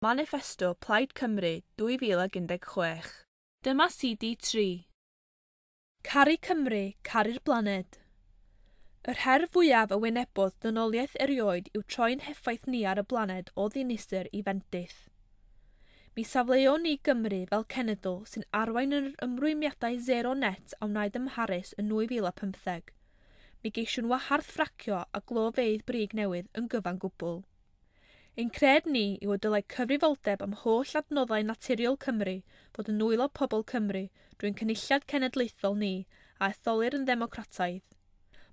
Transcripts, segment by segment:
Maniffesto Plaid Cymru 2016. Dyma CD3. Caru Cymru, caru'r blaned. Yr her fwyaf a wynebodd dynoliaeth erioed yw troi'n heffaith ni ar y blaned o ddinistr i fendith. Mi safleon ni Gymru fel cenedl sy'n arwain yr ymrwymiadau sero net a wnaed ym Mharis yn 2015. Mi geisiwn wahardd ffracio a glofeydd brig newydd yn gyfan gwbl. Ein cred ni yw y dylai cyfrifoldeb am holl adnoddau naturiol Cymru fod yn nwylo pobl Cymru drwy'n cynulliad cenedlaethol ni a etholir yn ddemocrataidd.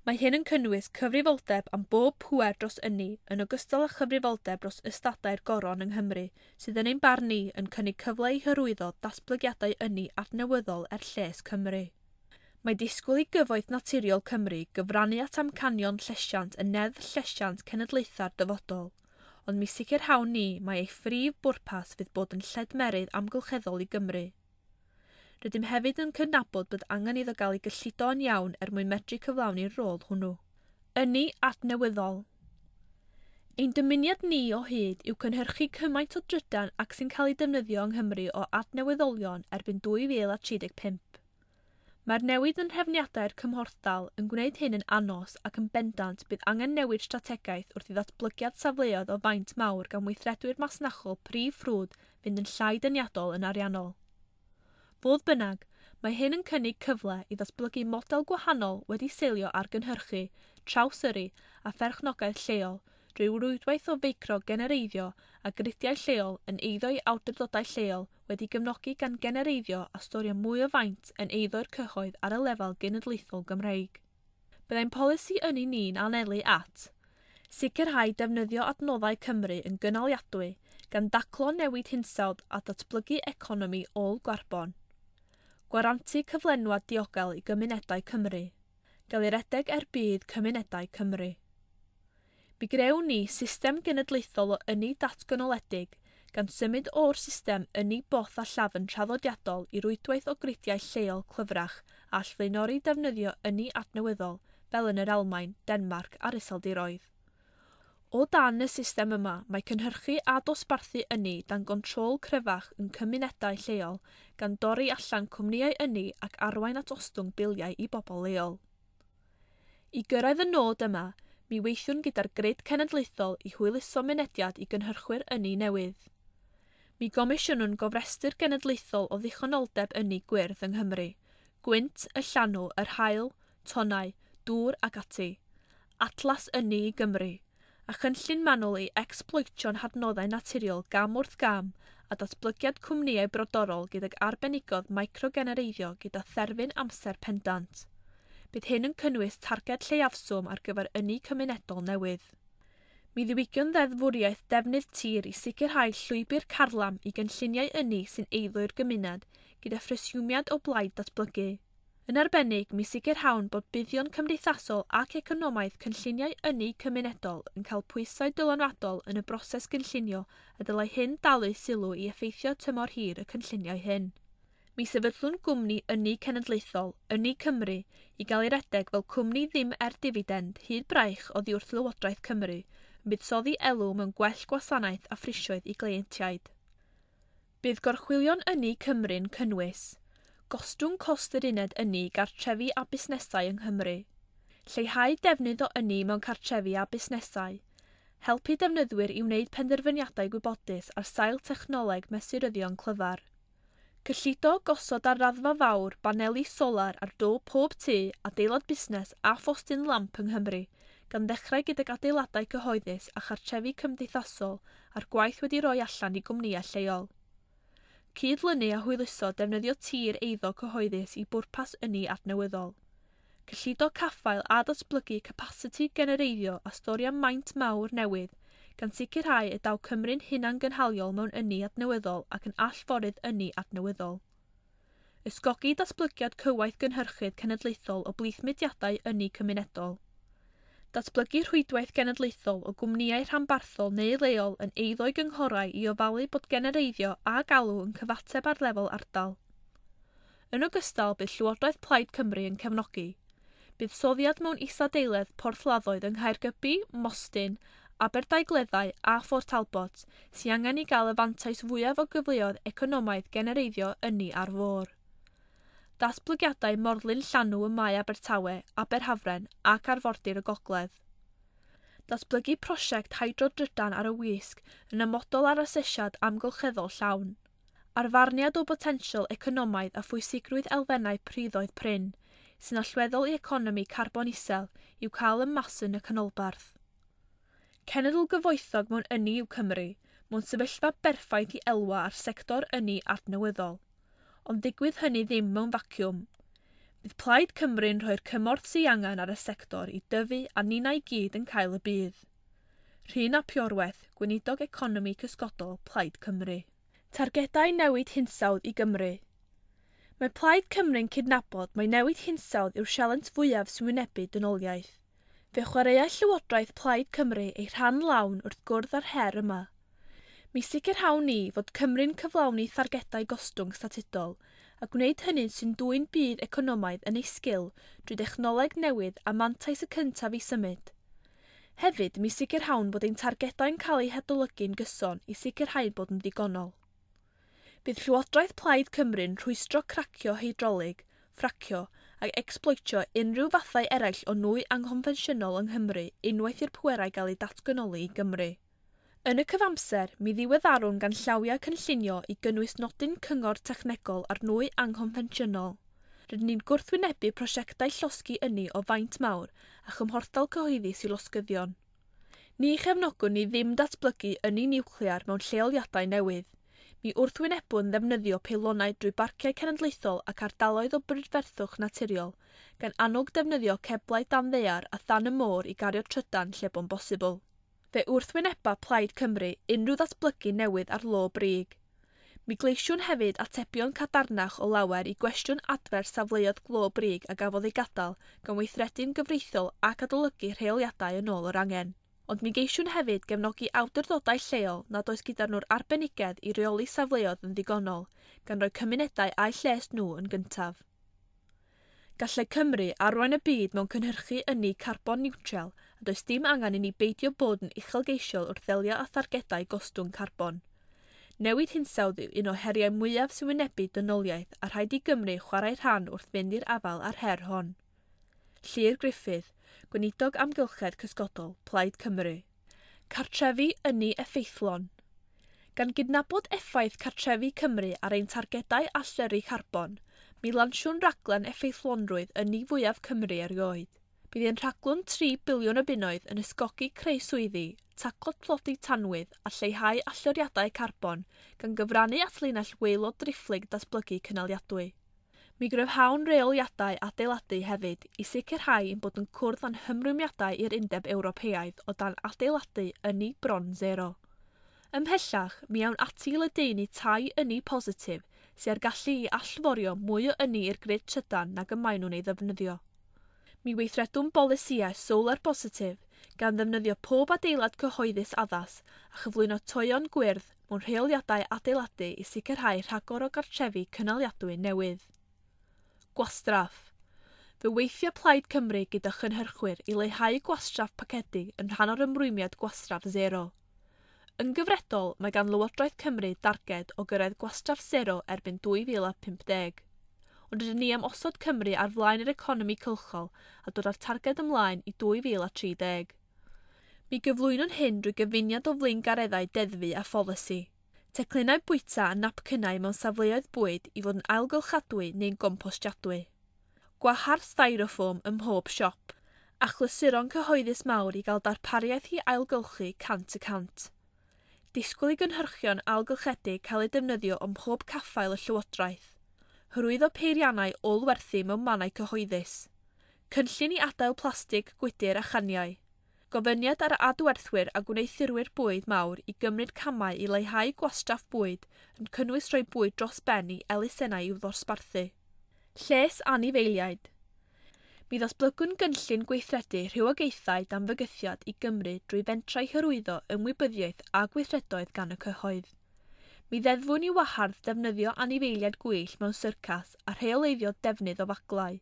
Mae hyn yn cynnwys cyfrifoldeb am bob pŵer dros ynni yn ogystal â chyfrifoldeb dros ystadau'r goron yng Nghymru sydd yn ein barn ni yn cynnig cyfle i hyrwyddo datblygiadau ynni adnewyddol er lles Cymru. Mae disgwyl i Gyfoeth Naturiol Cymru gyfrannu at amcanion llesiant yn Neddf Llesiant Cenedlaethau'r Dyfodol, ond mi sicrhawn ni mai ei phrif bwrpas fydd bod yn lledmerydd amgylcheddol i Gymru. Rydym hefyd yn cydnabod bod angen iddo gael ei gyllido yn iawn er mwyn medru cyflawni'r rôl hwnnw. Ynni adnewyddol. Ein dymuniad ni o hyd yw cynhyrchu cymaint o drydan ac sy'n cael ei defnyddio yng Nghymru o adnewyddolion erbyn 2035. Mae'r newid yn nhrefniadau'r cymhorthdal yn gwneud hyn yn anos ac yn bendant bydd angen newid strategaeth wrth i ddatblygiad safleoedd o faint mawr gan weithredwyr masnachol prif ffrwd fynd yn llai deniadol yn ariannol. Fodd bynnag, mae hyn yn cynnig cyfle i ddatblygu model gwahanol wedi seilio ar gynhyrchu, trawsyrru a pherchnogaeth lleol drwy rwydwaith o feicro-genereiddio a gridiau lleol yn eiddo i awdurdodau lleol wedi gefnogi gan genereiddio a storio mwy o faint yn eiddo'r cyhoedd ar y lefel genedlaethol Gymreig. Byddai'n polisi ynni ni'n anelu at sicrhau defnyddio adnoddau Cymru yn gynaliadwy gan daclo newid hinsawdd a datblygu economi ôl-garbon. Gwarantu cyflenwad diogel i gymunedau Cymru. Gael ei redeg er budd cymunedau Cymru. Mi grewn ni system genedlaethol o ynni datganoledig gan symud o'r system ynni both a llafn traddodiadol i rwydwaith o gridiau lleol clyfrach a all flaenori defnyddio ynni adnewyddol fel yn yr Almaen, Denmarc a'r Iseldiroedd. O dan y system yma, mae cynhyrchu a dosbarthu ynni dan gontrol cryfach yn cymunedau lleol gan dorri allan cwmnïau ynni ac arwain at ostwng biliau i bobl leol. I gyrraedd y nod yma, mi weithiwn gyda'r grid cenedlaethol i hwyluso mynediad i gynhyrchwyr ynni newydd. Mi gomisiynwn gofrestr genedlaethol o ddichonoldeb ynni gwyrdd yng Nghymru, gwynt, y llanw, yr haul, tonnau, dŵr ac ati. Atlas Ynni i Gymru, a chynllun manwl i ecsbloetio'n hadnoddau naturiol gam wrth gam a datblygiad cwmnïau brodorol gydag arbenigodd microgenereiddio gyda therfyn amser pendant. Bydd hyn yn cynnwys targed lleiafswm ar gyfer ynni cymunedol newydd. Mi ddiwygion ddeddfwriaeth defnydd tir i sicrhau llwybr carlam i gynlluniau ynni sy'n eiddo i'r gymuned gyda phresiwmiad o blaid datblygu. Yn arbennig, mi sicrhawn bod buddion cymdeithasol ac economaidd cynlluniau ynni cymunedol yn cael pwysau dylanwadol yn y broses gynllunio a dylai hyn dalu sylw i effeithio tymor hir y cynlluniau hyn. Mi sefydlwn gwmni ynni cenedlaethol, Ynni Cymru, i gael ei redeg fel cwmni ddim er difidend hyd braich oddi wrth Lywodraeth Cymru, yn buddsoddi elw mewn gwell gwasanaeth a phrisioedd i gleientiaid. Bydd gorchwylion Ynni Cymru'n cynnwys gostwng cost yr uned ynni i gartrefi a busnesau yng Nghymru, lleihau defnydd o ynni mewn cartrefi a busnesau, helpu defnyddwyr i wneud penderfyniadau gwybodus ar sail technoleg mesuryddion clyfar, cyllido gosod ar raddfa fawr baneli solar ar do pob tŷ, adeilad busnes a phostyn lamp yng Nghymru, gan ddechrau gydag adeiladau cyhoeddus a chartrefi cymdeithasol a'r gwaith wedi roi allan i gwmnïau lleol. Cydlynu a hwyluso defnyddio tir eiddo cyhoeddus i bwrpas ynni adnewyddol. Cyllido caffael a datblygu capasiti genereiddio a storio maint mawr newydd, gan sicrhau y daw Cymru'n hunangynhaliol mewn ynni adnewyddol ac yn allforydd ynni adnewyddol. Ysgogi datblygiad cywaith gynhyrchydd cenedlaethol o blith mudiadau ynni cymunedol. Datblygu rhwydwaith genedlaethol o gwmnïau rhanbarthol neu leol yn eiddo i gynghorau i ofalu bod genereiddio a galw yn cyfateb ar lefel ardal. Yn ogystal, bydd Llywodraeth Plaid Cymru yn cefnogi buddsoddiad mewn isadeiledd porthladdoedd yng Nghaergybi, Mostyn, Aberdaugleddau a Phort Talbot sy angen i gael y fantais fwyaf o gyfleoedd economaidd genereiddio ynni ar fôr. Datblygiadau morlyn llanw ym Mae Abertawe, Aberhafren ac arfordir y Gogledd. Datblygu prosiect hydrodrydan ar y Wysg yn amodol ar asesiad amgylcheddol llawn. Arfarniad o botensial economaidd a phwysigrwydd elfennau priddoedd prin, sy'n allweddol i economi carbon isel, i'w cael ym masn y canolbarth. Cenedl gyfoethog mewn ynni yw Cymru, mewn sefyllfa berffaith i elwa ar sector ynni adnewyddol. Ond ddigwydd hynny ddim mewn vacuwm. Bydd Plaid Cymru'n rhoi'r cymorth sydd angen ar y sector i dyfu a ninnau i gyd yn cael y budd. Rhun ap Iorwerth, Gweinidog Economi Cysgodol, Plaid Cymru. Targedau newid hinsawdd i Gymru. Mae Plaid Cymru'n cydnabod mai newid hinsawdd yw'r sialens fwyaf sy'n wynebu dynoliaeth. Fe chwaraea Llywodraeth Plaid Cymru ei rhan lawn wrth gwrdd â'r her yma. Mi sicrhawn ni fod Cymru'n cyflawni thargedau gostwng statudol a gwneud hynny sy'n dwyn budd economaidd yn ei sgil drwy dechnoleg newydd a mantais y cyntaf i symud. Hefyd, mi sicrhawn bod ein targedau'n cael eu hadolygu'n gyson i sicrhau bod yn ddigonol. Bydd Llywodraeth Plaid Cymru'n rhwystro cracio heidrolig, ffracio ac ecsbloetio unrhyw fathau eraill o nwy anghonfensiynol yng Nghymru unwaith i'r pwerau gael eu datganoli i Gymru. Yn y cyfamser, mi ddiweddarwn ganllawiau cynllunio i gynnwys nodyn cyngor technegol ar nwy anghonfensiynol. Rydyn ni'n gwrthwynebu prosiectau llosgi ynni o faint mawr a chymhorthdal cyhoeddus i losgyddion. Ni chefnogwn ni ddim datblygu ynni niwclear mewn lleoliadau newydd. Mi wrthwynebwn ddefnyddio peilonau drwy barciau cenedlaethol ac ardaloedd o brydferthwch naturiol, gan annog defnyddio ceblau dan ddaear a than y môr i gario trydan lle bo'n bosibl. Fe wrthwyneba Plaid Cymru unrhyw ddatblygu newydd ar lo brig. Mi gleisiwn hefyd atebion cadarnach o lawer i gwestiwn adfer safleoedd glo brig a gafodd ei gadael gan weithredu'n gyfreithiol ac adolygu rheoliadau yn ôl yr angen. Ond mi geisiwn hefyd gefnogi awdurdodau lleol nad oes gyda nhw'r arbenigedd i reoli safleoedd yn ddigonol, gan roi cymunedau a'u lles nhw yn gyntaf. Gallai Cymru arwain y byd mewn cynhyrchu ynni carbon niwtral a does dim angen i ni beidio bod yn uchelgeisiol wrth ddelio â thargedau gostwng carbon. Newid hinsawdd yw un o heriau mwyaf sy'n wynebu dynoliaeth a rhaid i Gymru chwarae rhan wrth fynd i'r afael â'r her hon. Llyr Gruffydd, Gweinidog Amgylchedd Cysgodol, Plaid Cymru. Cartrefi ynni effeithlon. Gan gydnabod effaith Cartrefi Cymru ar ein targedau allyrru carbon, mi lansiwn raglen effeithlonrwydd ynni fwyaf Cymru erioed. Bydd ein rhaglen 3 biliwn o bunnoedd yn ysgogi creu swyddi, taclo tlodi tanwydd a lleihau allyriadau carbon, gan gyfrannu at linell waelod driphlyg datblygu cynaliadwy. Mi gryfhawn reoliadau adeiladu hefyd i sicrhau ein bod yn cwrdd â'n hymrwymiadau i'r Undeb Ewropeaidd o dan adeiladu ynni bron zero. Ymhellach, mi awn ati i ledaenu tai ynni positif sydd â'r gallu i allforio mwy o ynni i'r grid trydan nag y maen nhw'n ei ddefnyddio. Mi weithredwn bolisïau solar positif gan ddefnyddio pob adeilad cyhoeddus addas a chyflwyno toeon gwyrdd mewn rheoliadau adeiladu i sicrhau rhagor o gartrefi cynaliadwy newydd. Gwastraff. Fe weithio Plaid Cymru gyda chynhyrchwyr i leihau gwastraff pacedi yn rhan o'r ymrwymiad gwastraff zero. Yn gyfredol, mae gan Lywodraeth Cymru darged o gyrraedd gwastraff zero erbyn 2050. Ond rydyn ni am osod Cymru ar flaen yr economi cylchol a dod â'r targed ymlaen i 2030. Mi gyflwynwn hyn drwy gyfuniad o flaengareddau deddfu a pholisi. Teclynnau bwyta a napcynnau mewn safleoedd bwyd i fod yn ailgylchadwy neu'n gompostiadwy. Gwahardd styrofoam ym mhob siop, a chlysuron cyhoeddus mawr i gael darpariaeth i ailgylchu 100%. Disgwyl i gynhyrchion ailgylchedig cael eu defnyddio ym mhob caffael y Llywodraeth. Hyrwyddo peiriannau ôl-werthu mewn mannau cyhoeddus. Cynllun i adael plastig, gwydr a chaniau. Gofyniad ar adwerthwyr a gwneuthurwyr bwyd mawr i gymryd camau i leihau gwastraff bwyd yn cynnwys rhoi bwyd dros ben i elusennau i'w ddosbarthu. Lles anifeiliaid. Mi ddatblygwn gynllun gweithredu rhywogaethau dan fygythiad i Gymru drwy fentrau hyrwyddo ymwybyddiaeth a gweithredoedd gan y cyhoedd. Mi ddeddfwn i wahardd defnyddio anifeiliaid gwyllt mewn syrcas a rheoleiddio defnydd o faglau.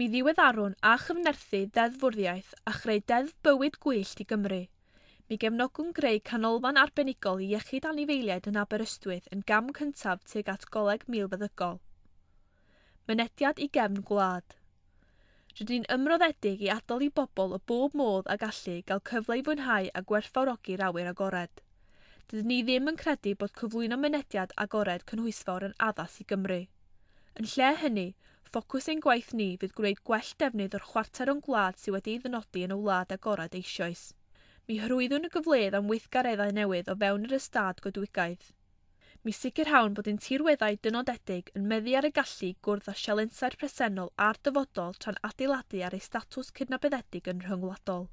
Mi ddiweddarwn a chyfnerthu deddfwriaeth a chreu deddf bywyd gwyllt i Gymru. Mi gefnogwn greu canolfan arbenigol i iechyd anifeiliaid yn Aberystwyth yn gam cyntaf tuag at Goleg Milfeddygol. Mynediad i gefn gwlad. Rydyn ni'n ymroddedig i adael i bobl o bob modd a gallu gael cyfle i fwynhau a gwerthfawrogi'r awyr agored. Dydyn ni ddim yn credu bod cyflwyno mynediad agored cynhwysfawr yn addas i Gymru. Yn lle hynny, ffocws ein gwaith ni fydd gwneud gwell defnydd o'r chwarter o'n gwlad sydd wedi'i ddynodi yn y wlad agored eisoes. Mi hyrwyddwn y gyfleoedd am weithgareddau newydd o fewn yr ystâd goedwigaeth. Mi sicrhawn bod ein tirweddau dynodedig yn meddu ar y gallu i gwrdd â sialensau'r presennol a'r dyfodol tra'n adeiladu ar eu statws cydnabyddedig yn rhyngwladol.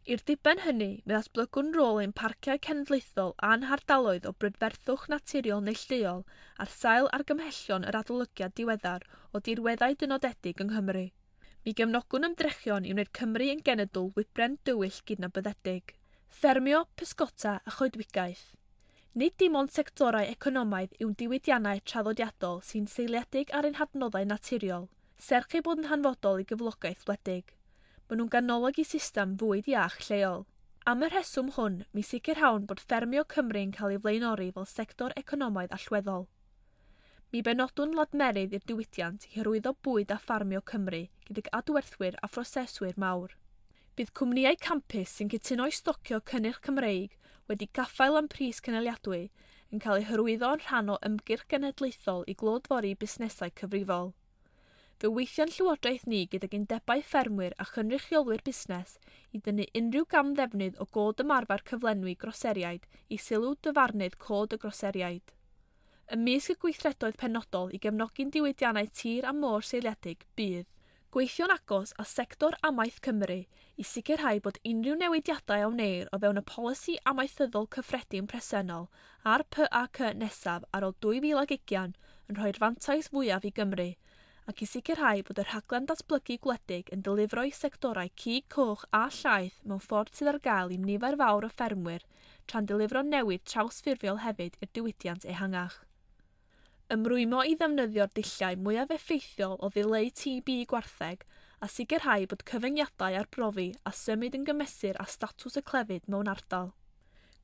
I'r diben hynny, mi ddatblygwn rôl ein parciau cenedlaethol a'n hardaloedd o brydferthwch naturiol neilltuol ar sail argymhellion yr adolygiad diweddar o dirweddau dynodedig yng Nghymru. Mi gefnogwn ymdrechion i wneud Cymru yn genedl wybren dywyll gydnabyddedig. Ffermio, pysgota a choedwigaeth. Nid dim ond sectorau economaidd yw'n diwydiannau traddodiadol sy'n seiliedig ar ein hadnoddau naturiol, serch eu bod yn hanfodol i gyflogaeth wledig. Maen nhw'n ganolog i system fwyd iach lleol. Am y rheswm hwn, mi sicrhawn bod ffermio Cymru yn cael ei flaenori fel sector economaidd allweddol. Mi benodwn ladmerydd i'r diwydiant i hyrwyddo bwyd a ffarmio Cymru gydag adwerthwyr a phroseswyr mawr. Bydd cwmnïau campus sy'n cytuno i stocio cynnyrch Cymreig wedi gaffael am pris cynaliadwy yn cael eu hyrwyddo yn rhan o ymgyrch genedlaethol i glodfori busnesau cyfrifol. Fe weithio'n llywodraeth ni gydag undebau ffermwyr a chynrychiolwyr busnes i dynnu unrhyw gamddefnydd o god ymarfer cyflenwi groseriaid i sylw dyfarnydd cod y groseriaid. Ymysg y gweithredoedd penodol i gefnogi'n diwydiannau tir a môr seiliedig bydd gweithio'n agos â sector amaeth Cymru i sicrhau bod unrhyw newidiadau a wneir o fewn y polisi amaethyddol cyffredin presennol a'r PAC nesaf ar ôl 2020 yn rhoi'r fantais fwyaf i Gymru ac i sicrhau bod y rhaglen datblygu gwledig yn delifro i sectorau cig coch a llaeth mewn ffordd sydd ar gael i nifer fawr o ffermwyr tra'n delifro newid trawsffurfiol hefyd i'r diwydiant ehangach. Ymrwymo i ddefnyddio'r dulliau mwyaf effeithiol o ddileu TB gwartheg a sicrhau bod cyfyngiadau ar brofi a symud yn gymesur â statws y clefyd mewn ardal.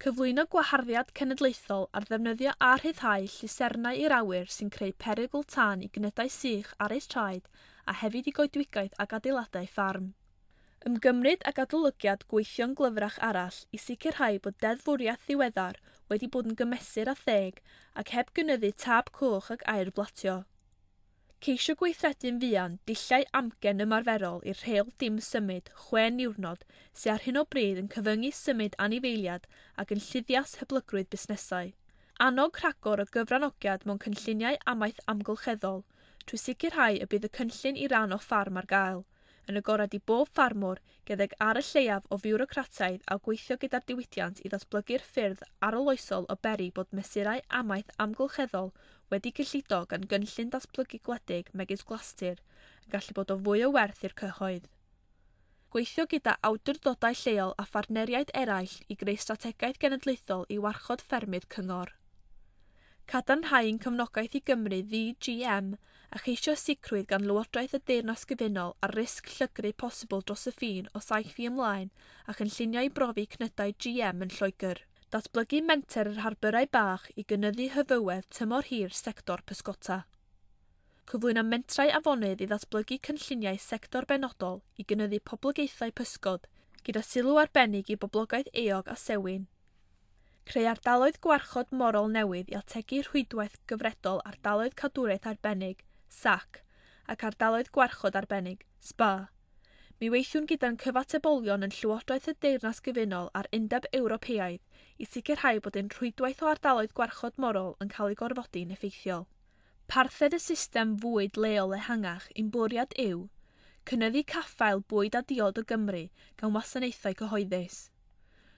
Cyflwyno gwaharddiad cenedlaethol ar ddefnyddio a rhyddhau llusernau i'r awyr sy'n creu perygl tân i gnydau sych ar eu traed a hefyd i goedwigaeth ac adeiladau ffarm. Ymgymryd ag adolygiad gweithio'n glyfrach arall i sicrhau bod deddfwriaeth ddiweddar wedi bod yn gymesur a theg ac heb gynyddu tab coch ac aer blatio. Ceisio gweithredu'n fuan dulliau amgen ymarferol i'r rheol dim symud 6 niwrnod sydd ar hyn o bryd yn cyfyngu symud anifeiliad ac yn lluddias hyblygrwydd busnesau. Annog rhagor o gyfranogiad mewn cynlluniau amaeth amgylcheddol trwy sicrhau y bydd y cynllun i ran o ffarm ar gael, yn agored i bob ffarmwr gydag ar y lleiaf o fiwrocrataidd a gweithio gyda'r diwydiant i ddatblygu'r ffyrdd arloesol o beri bod mesurau amaeth amgylcheddol wedi cyllido gan gynllun datblygu gwledig megis Glastir yn gallu bod o fwy o werth i'r cyhoedd. Gweithio gyda awdurdodau lleol a phartneriaid eraill i greu strategaeth genedlaethol i warchod ffermydd cyngor. Cadarnhau'n cefnogaeth i Gymru ddi-GM a cheisio sicrwydd gan Lywodraeth y Deyrnas Gyfunol ar risg llygru posibl dros y ffin o 7 i ymlaen a chynlluniau i brofi cnydau GM yn Lloegr. Datblygu menter yr harbyrau bach i gynyddu hyfywedd tymor hir sector pysgota. Cyflwyno mentrau afonydd i ddatblygu cynlluniau sector benodol i gynyddu poblogaethau pysgod, gyda sylw arbennig i boblogaeth eog a sewin. Creu ardaloedd gwarchod morol newydd i ategu rhwydwaith gyfredol ardaloedd cadwraeth arbennig, SAC, ac ardaloedd gwarchod arbennig, SPA. Mi weithiwn gyda'n cyfatebolion yn Llywodraeth y Deyrnas Gyfunol a'r Undeb Ewropeaidd i sicrhau bod ein rhwydwaith o ardaloedd gwarchod morol yn cael ei gorfodi'n effeithiol. Parthed y system fwyd leol ehangach ein bwriad yw cynyddu caffael bwyd a diod o Gymru gan wasanaethau cyhoeddus.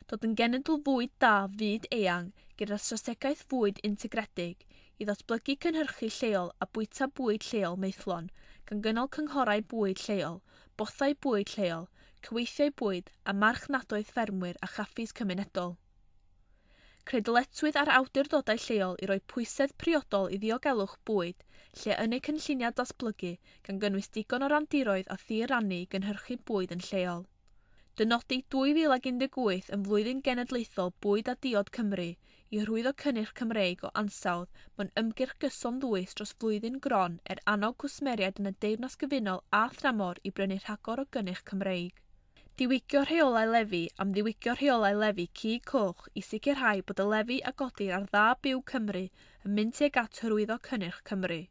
Dod yn genedl fwyd da fyd eang gyda strategaeth fwyd integredig i ddatblygu cynhyrchu lleol a bwyta bwyd lleol maethlon, gan gynnal cynghorau bwyd lleol, bothau bwyd lleol, cyweithiau bwyd a marchnadoedd ffermwyr a chaffis cymunedol. Creu dyletswydd ar awdurdodau lleol i roi pwysedd priodol i ddiogelwch bwyd lle yn eu cynlluniau datblygu gan gynnwys digon o randiroedd a thir rannu i gynhyrchu bwyd yn lleol. Dynodi 2018 yn flwyddyn genedlaethol bwyd a diod Cymru i hyrwyddo cynnyrch Cymreig o ansawdd mewn ymgyrch gyson ddwys dros flwyddyn gron er annog cwsmeriaid yn y Deyrnas Gyfunol a thramor i brynu rhagor o gynnyrch Cymreig. Diwygio rheolau lefi am ddiwygio rheolau lefi cig coch i sicrhau bod y lefi a godir ar dda byw Cymru yn mynd tuag at hyrwyddo cynnyrch Cymru.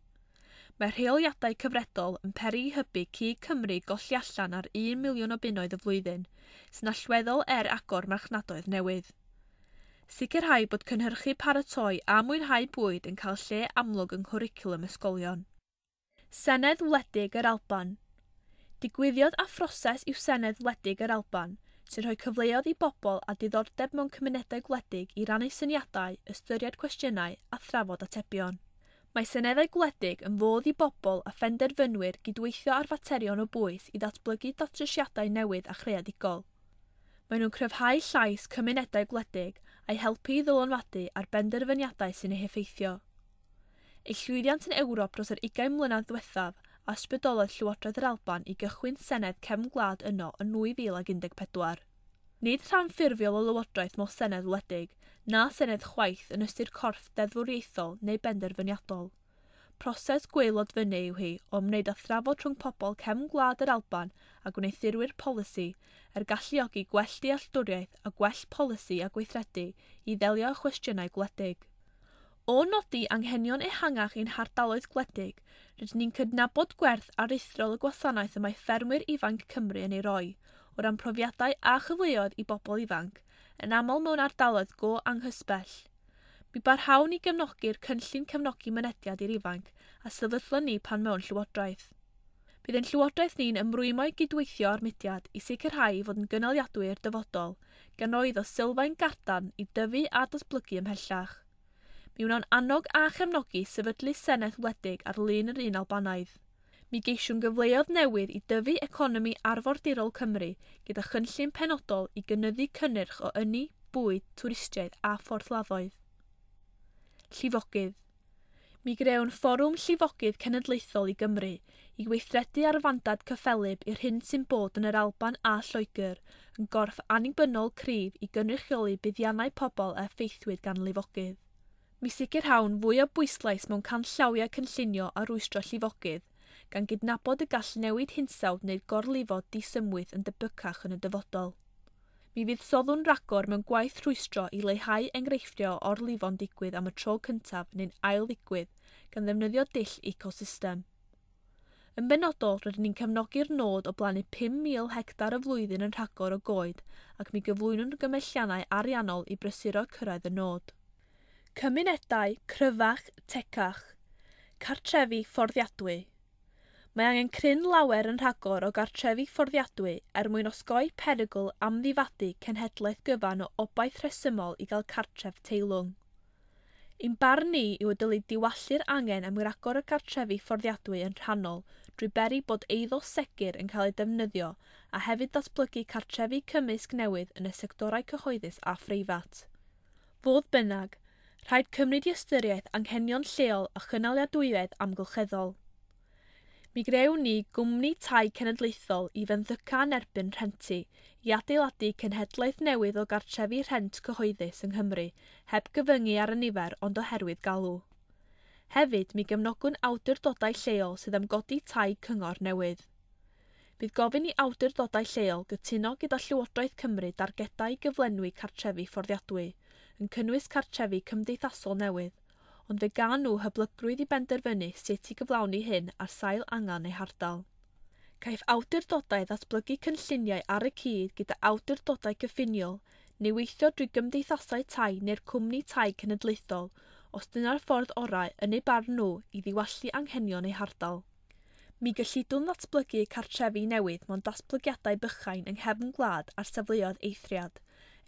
Mae rheoliadau cyfredol yn peri i hybu cig Cymru golli allan ar 1 miliwn o bunnoedd y flwyddyn, sy'n allweddol er agor marchnadoedd newydd. Sicrhau bod cynhyrchu paratoi a mwynhau bwyd yn cael lle amlwg yng nghwricwlwm ysgolion. Senedd Wledig yr Alban. Digwyddiad a phroses yw Senedd Wledig yr Alban, sy'n rhoi cyfleoedd i bobl â diddordeb mewn cymunedau gwledig i rannu syniadau, ystyried cwestiynau a thrafod atebion. Mae seneddau gwledig yn fodd i bobl a phenderfynwyr gydweithio ar faterion o bwys i ddatblygu datrysiadau newydd a chreadigol. Maen nhw'n cryfhau llais cymunedau gwledig a'i helpu i ddylanwadu ar benderfyniadau sy'n eu heffeithio. Ei llwyddiant yn Ewrop dros yr 20 mlynedd ddiwethaf a ysbrydolodd Llywodraeth yr Alban i gychwyn Senedd Cefn Gwlad yno yn 2014. Nid rhan ffurfiol o lywodraeth mo Senedd wledig, na Senedd chwaith yn ystyr corff deddfwriaethol neu benderfyniadol. Proses gwaelod fyny yw hi o ymwneud â thrafod rhwng pobl cefn gwlad yr Alban a gwneuthurwyr polisi er galluogi gwell dealltwriaeth a gwell polisi a gweithredu i ddelio â chwestiynau gwledig. O nodi anghenion ehangach ein hardaloedd gwledig, rydyn ni'n cydnabod gwerth aruthrol y gwasanaeth y mae ffermwyr ifanc Cymru yn ei roi, o ran profiadau a chyfleoedd i bobl ifanc, yn aml mewn ardaloedd go anghysbell. Mi barhawn i gefnogi'r cynllun cefnogi mynediad i'r ifanc a sefydlon ni pan mewn llywodraeth. Bydd ein llywodraeth ni'n ymrwymo i gydweithio â'r mudiad i sicrhau ei fod yn gynaliadwy i'r dyfodol, gan roi iddo sylfaen gadarn i dyfu a datblygu ymhellach. Mi wnawn annog a chefnogi sefydlu Senedd wledig ar lun yr un Albanaidd. Mi geisiwn gyfleoedd newydd i dyfu economi arfordirol Cymru gyda chynllun penodol i gynyddu cynnyrch o ynni, bwyd, twristiaeth a phorthladdoedd. Llifogydd. Mi grewn Fforwm Llifogydd Cenedlaethol i Gymru i weithredu ar fandad cyffelyb i'r hyn sy'n bod yn yr Alban a Lloegr yn gorff annibynnol cryf i gynrychioli buddiannau pobl a effeithiwyd gan lifogydd. Mi sicrhawn fwy o bwyslais mewn canllawiau cynllunio a rwystro llifogydd, gan gydnabod y gall newid hinsawdd neu gorlifo disymwyth yn debycach yn y dyfodol. Mi fuddsoddwn ragor mewn gwaith rhwystro i leihau enghreifftiau o orlifo'n digwydd am y tro cyntaf neu'n ail ddigwydd gan ddefnyddio dull ecosystem. Yn benodol, rydyn ni'n cefnogi'r nod o blannu 5,000 hectar y flwyddyn yn rhagor o goed ac mi gyflwynwn gymelliannau ariannol i brysuro cyrraedd y nod. Cymunedau cryfach, tecach. Cartrefi fforddiadwy. Mae angen cryn lawer yn rhagor o gartrefi fforddiadwy er mwyn osgoi perygl amddifadu cenhedlaeth gyfan o obaith rhesymol i gael cartref teilwng. Ein barn ni yw y dylid diwallu'r angen am ragor o gartrefi fforddiadwy yn rhannol drwy beri bod eiddo segur yn cael ei defnyddio a hefyd ddatblygu cartrefi cymysg newydd yn y sectorau cyhoeddus a phreifat. Fodd bynnag, rhaid cymryd i ystyriaeth anghenion lleol a chynaliadwyedd amgylcheddol. Mi grewn ni gwmni tai cenedlaethol i fenthyca yn erbyn rhenti i adeiladu cenhedlaeth newydd o gartrefi rhent cyhoeddus yng Nghymru heb gyfyngu ar y nifer ond oherwydd galw. Hefyd, mi gefnogwn awdurdodau lleol sydd am godi tai cyngor newydd. Bydd gofyn i awdurdodau lleol gytuno gyda Llywodraeth Cymru dargedau i gyflenwi cartrefi fforddiadwy, yn cynnwys cartrefi cymdeithasol newydd, ond fe gan nhw hyblygrwydd i benderfynu sut i gyflawni hyn ar sail angen eu hardal. Caiff awdurdodau ddatblygu cynlluniau ar y cyd gyda awdurdodau cyffiniol neu weithio drwy gymdeithasau tai neu'r cwmni tai cenedlaethol os dyna'r ffordd orau yn eu barn nhw i ddiwallu anghenion eu hardal. Mi gyllidwn ddatblygu cartrefi newydd mewn datblygiadau bychain yng nghefn gwlad ar safleoedd eithriad,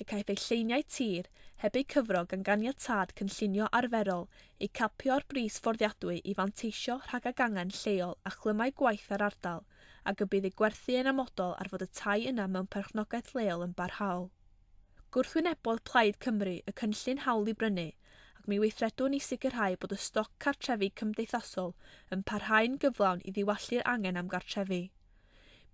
y caiff eu lleiniau tir heb eu cyfro gan ganiatâd cynllunio arferol eu capio ar bris fforddiadwy i fanteisio rhag ag angen lleol a chlymau gwaith ar ardal ac y bydd eu gwerthu yn amodol ar fod y tai yna mewn perchnogaeth leol yn barhaol. Gwrthwynebodd Plaid Cymru y cynllun hawl i brynu ac mi weithredwn i sicrhau bod y stoc cartrefi cymdeithasol yn parhau'n gyflawn i ddiwallu'r angen am gartrefi.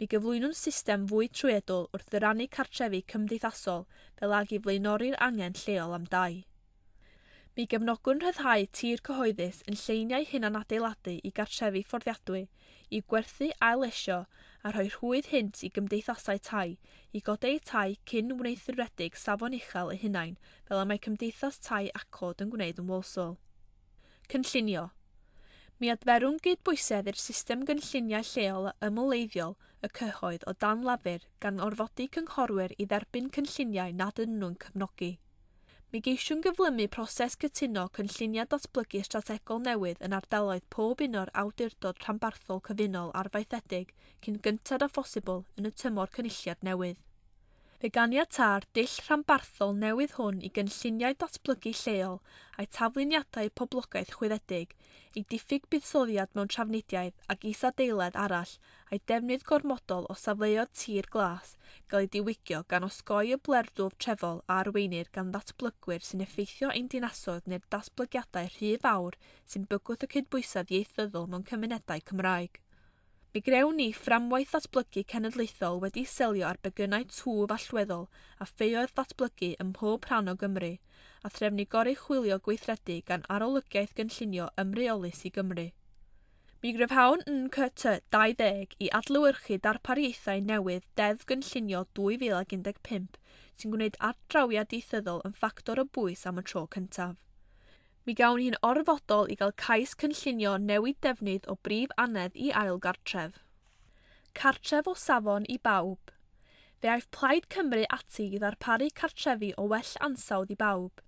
Mi Mi gyflwynwn system fwy trwyadl wrth ddyrannu cartrefi cymdeithasol fel ag i flaenori'r angen lleol am dai. Mi gefnogwn rhyddhau tir cyhoeddus yn lleiniau hunanadeiladu i gartrefi fforddiadwy, i gwerthu ail-lesio a rhoi rhwydd hynt i gymdeithasau tai, i godi eu tai cyn wneuthuredig safon uchel eu hunain fel y mae Cymdeithas Tai Accord yn gwneud yn Walsall. Cynllunio. Mi adferwn gydbwysedd i'r system gynlluniau lleol a ymwleiddiol y cyhoedd o dan Lafur gan orfodi cynghorwyr i dderbyn cynlluniau nad ydyn nhw'n cefnogi. Mi geisiwn gyflymu proses cytuno cynlluniau datblygu strategol newydd yn ardaloedd pob un o'r awdurdod rhanbarthol cyfunol arfaethedig cyn gynted â phosibl yn y tymor cynulliad newydd. Fe ganiata'r dull rhanbarthol newydd hwn i gynlluniau datblygu lleol a'i tafluniadau poblogaeth chwyddedig, ei diffyg buddsoddiad mewn trafnidiaeth ac isadeiledd arall a'i defnydd gormodol o safleoedd tir glas gael ei diwygio gan osgoi y blerdwf trefol a arweinir gan ddatblygwyr sy'n effeithio ein dinasoedd neu'r datblygiadau rhy fawr sy'n bygwth y cydbwysedd ieithyddol mewn cymunedau Cymraeg. Mi grewn ni fframwaith ddatblygu cenedlaethol wedi selio ar begynnau twf allweddol a ffeoedd datblygu ym mhob rhan o Gymru, a threfnu goruchwylio gweithredu gan Arolygiaeth Gynllunio Ymreolus i Gymru. Mi gryfhawn NCT 20 i adlewyrchu darpariaethau newydd Deddf Gynllunio 2015 sy'n gwneud ardrawiad ieithyddol yn ffactor o bwys am y tro cyntaf. Mi gawn hi'n orfodol i gael cais cynllunio newid defnydd o brif annedd i ail gartref. Cartref o safon i bawb. Fe aiff Plaid Cymru ati i ddarparu cartrefi o well ansawdd i bawb.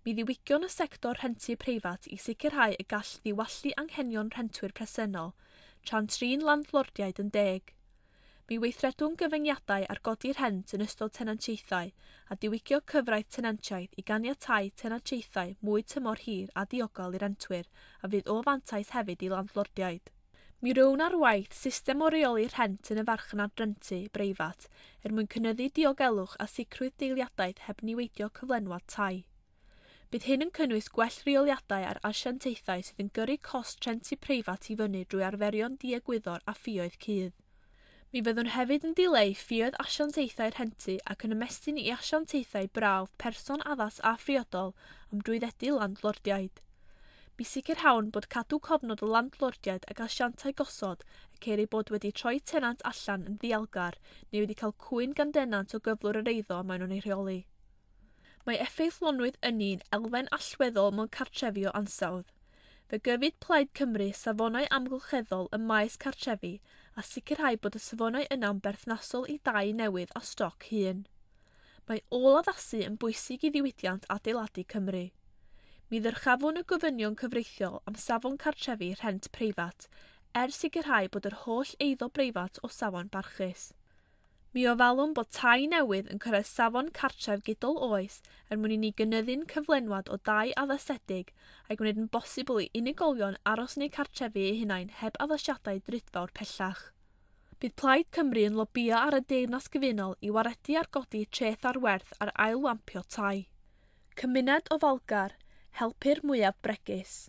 Mi ddiwygion y sector rhentu preifat i sicrhau y gall ddiwallu anghenion rhentwyr presennol, tra'n trin landlordiaid yn deg. Mi weithredwn gyfyngiadau ar godi rhent yn ystod tenantiaethau a diwygio cyfraith tenantiaeth i ganiatáu tenantiaethau mwy tymor hir a diogel i rentwyr a fydd o fantais hefyd i landlordiaid. Mi rown ar waith system o reoli rhent yn y farchnad rentu breifat er mwyn cynyddu diogelwch a sicrwydd deiliadaeth heb niweidio cyflenwad tai. Bydd hyn yn cynnwys gwell rheoliadau ar asiantaethau sydd yn gyrru cost rhentu preifat i fyny drwy arferion diegwyddor a ffioedd cudd. Mi fyddwn hefyd yn dileu ffioedd asiantaethau rhentu ac yn ymestyn i asiantaethau brawf person addas a phriodol am drwyddedu landlordiaid. Mi sicrhawn bod cadw cofnod o landlordiaid ac asiantau gosod y ceir eu bod wedi troi tenant allan yn ddialgar neu wedi cael cwyn gan denant o gyflwr yr eiddo maen nhw'n ei rheoli. Mae effeithlonrwydd ynni'n elfen allweddol mewn cartrefi o ansawdd. Fe gyfyd Plaid Cymru safonau amgylcheddol ym maes cartrefi a sicrhau bod y safonau yna'n berthnasol i dai newydd a stoc hŷn. Mae ôl-addasu yn bwysig i ddiwydiant adeiladu Cymru. Mi ddyrchafwn y gofynion cyfreithiol am safon cartrefi rhent preifat, er sicrhau bod yr holl eiddo breifat o safon barchus. Mi ofalwn bod tai newydd yn cyrraedd safon cartref gydol oes er mwyn i ni gynyddu'n cyflenwad o dai addasedig a'i gwneud yn bosibl i unigolion aros yn eu cartrefi eu hunain heb addasiadau drudfawr pellach. Bydd Plaid Cymru yn lobïo ar y Deyrnas Gyfunol i waredu ar godi treth ar werth ar ailwampio tai. Cymuned ofalgar, helpu'r mwyaf bregus.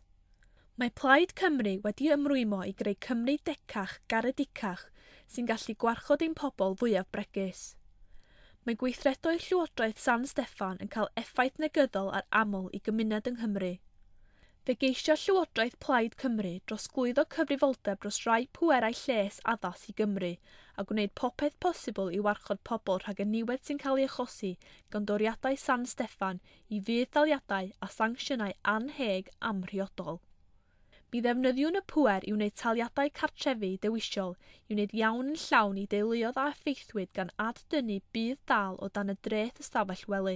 Mae Plaid Cymru wedi ymrwymo i greu Cymru decach, garedicach, sy'n gallu gwarchod ein pobl fwyaf bregus. Mae gweithredoedd Llywodraeth San Steffan yn cael effaith negyddol ar aml i gymuned yng Nghymru. Fe geisio Llywodraeth Plaid Cymru drosglwyddo cyfrifoldeb dros rai pwerau lles addas i Gymru a gwneud popeth posibl i warchod pobl rhag y niwed sy'n cael ei achosi gan doriadau San Steffan i fudd-daliadau a sancsiynau annheg amhriodol. Mi ddefnyddiwn y pŵer i wneud taliadau cartrefi dewisol i wneud iawn yn llawn i deuluoedd a effeithwyd gan ad-dynnu budd-dal o dan y dreth ystafell wely.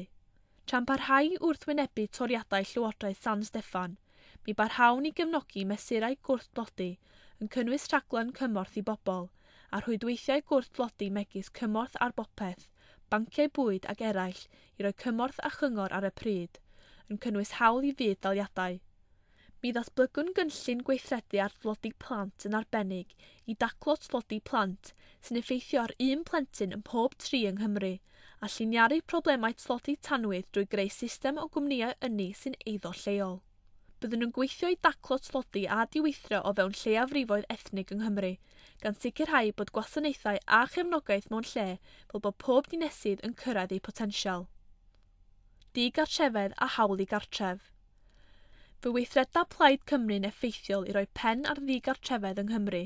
Tra'n parhau wrthwynebu toriadau Llywodraeth San Steffan, mi barhawn i gefnogi mesurau gwrthdlodi yn cynnwys rhaglen cymorth i bobl a rhwydweithiau gwrthdlodi megis cymorth ar bopeth, banciau bwyd ac eraill i roi cymorth a chyngor ar y pryd, yn cynnwys hawl i fudd-daliadau. Mi ddatblygwn gynllun gweithredu ar dlodi plant yn arbennig i daclo tlodi plant sy'n effeithio ar un plentyn ym mhob tri yng Nghymru a lliniaru problemau tlodi tanwydd drwy greu system o gwmnïau ynni sy'n eiddo lleol. Byddwn yn gweithio i daclo tlodi a diweithdra o fewn lleiafrifoedd ethnig yng Nghymru, gan sicrhau bod gwasanaethau a chefnogaeth mewn lle fel bod pob dinesydd yn cyrraedd eu potensial. Digartrefedd a hawl i gartref. Fe weithreda Plaid Cymru'n effeithiol i roi pen ar ddigartrefedd yng Nghymru,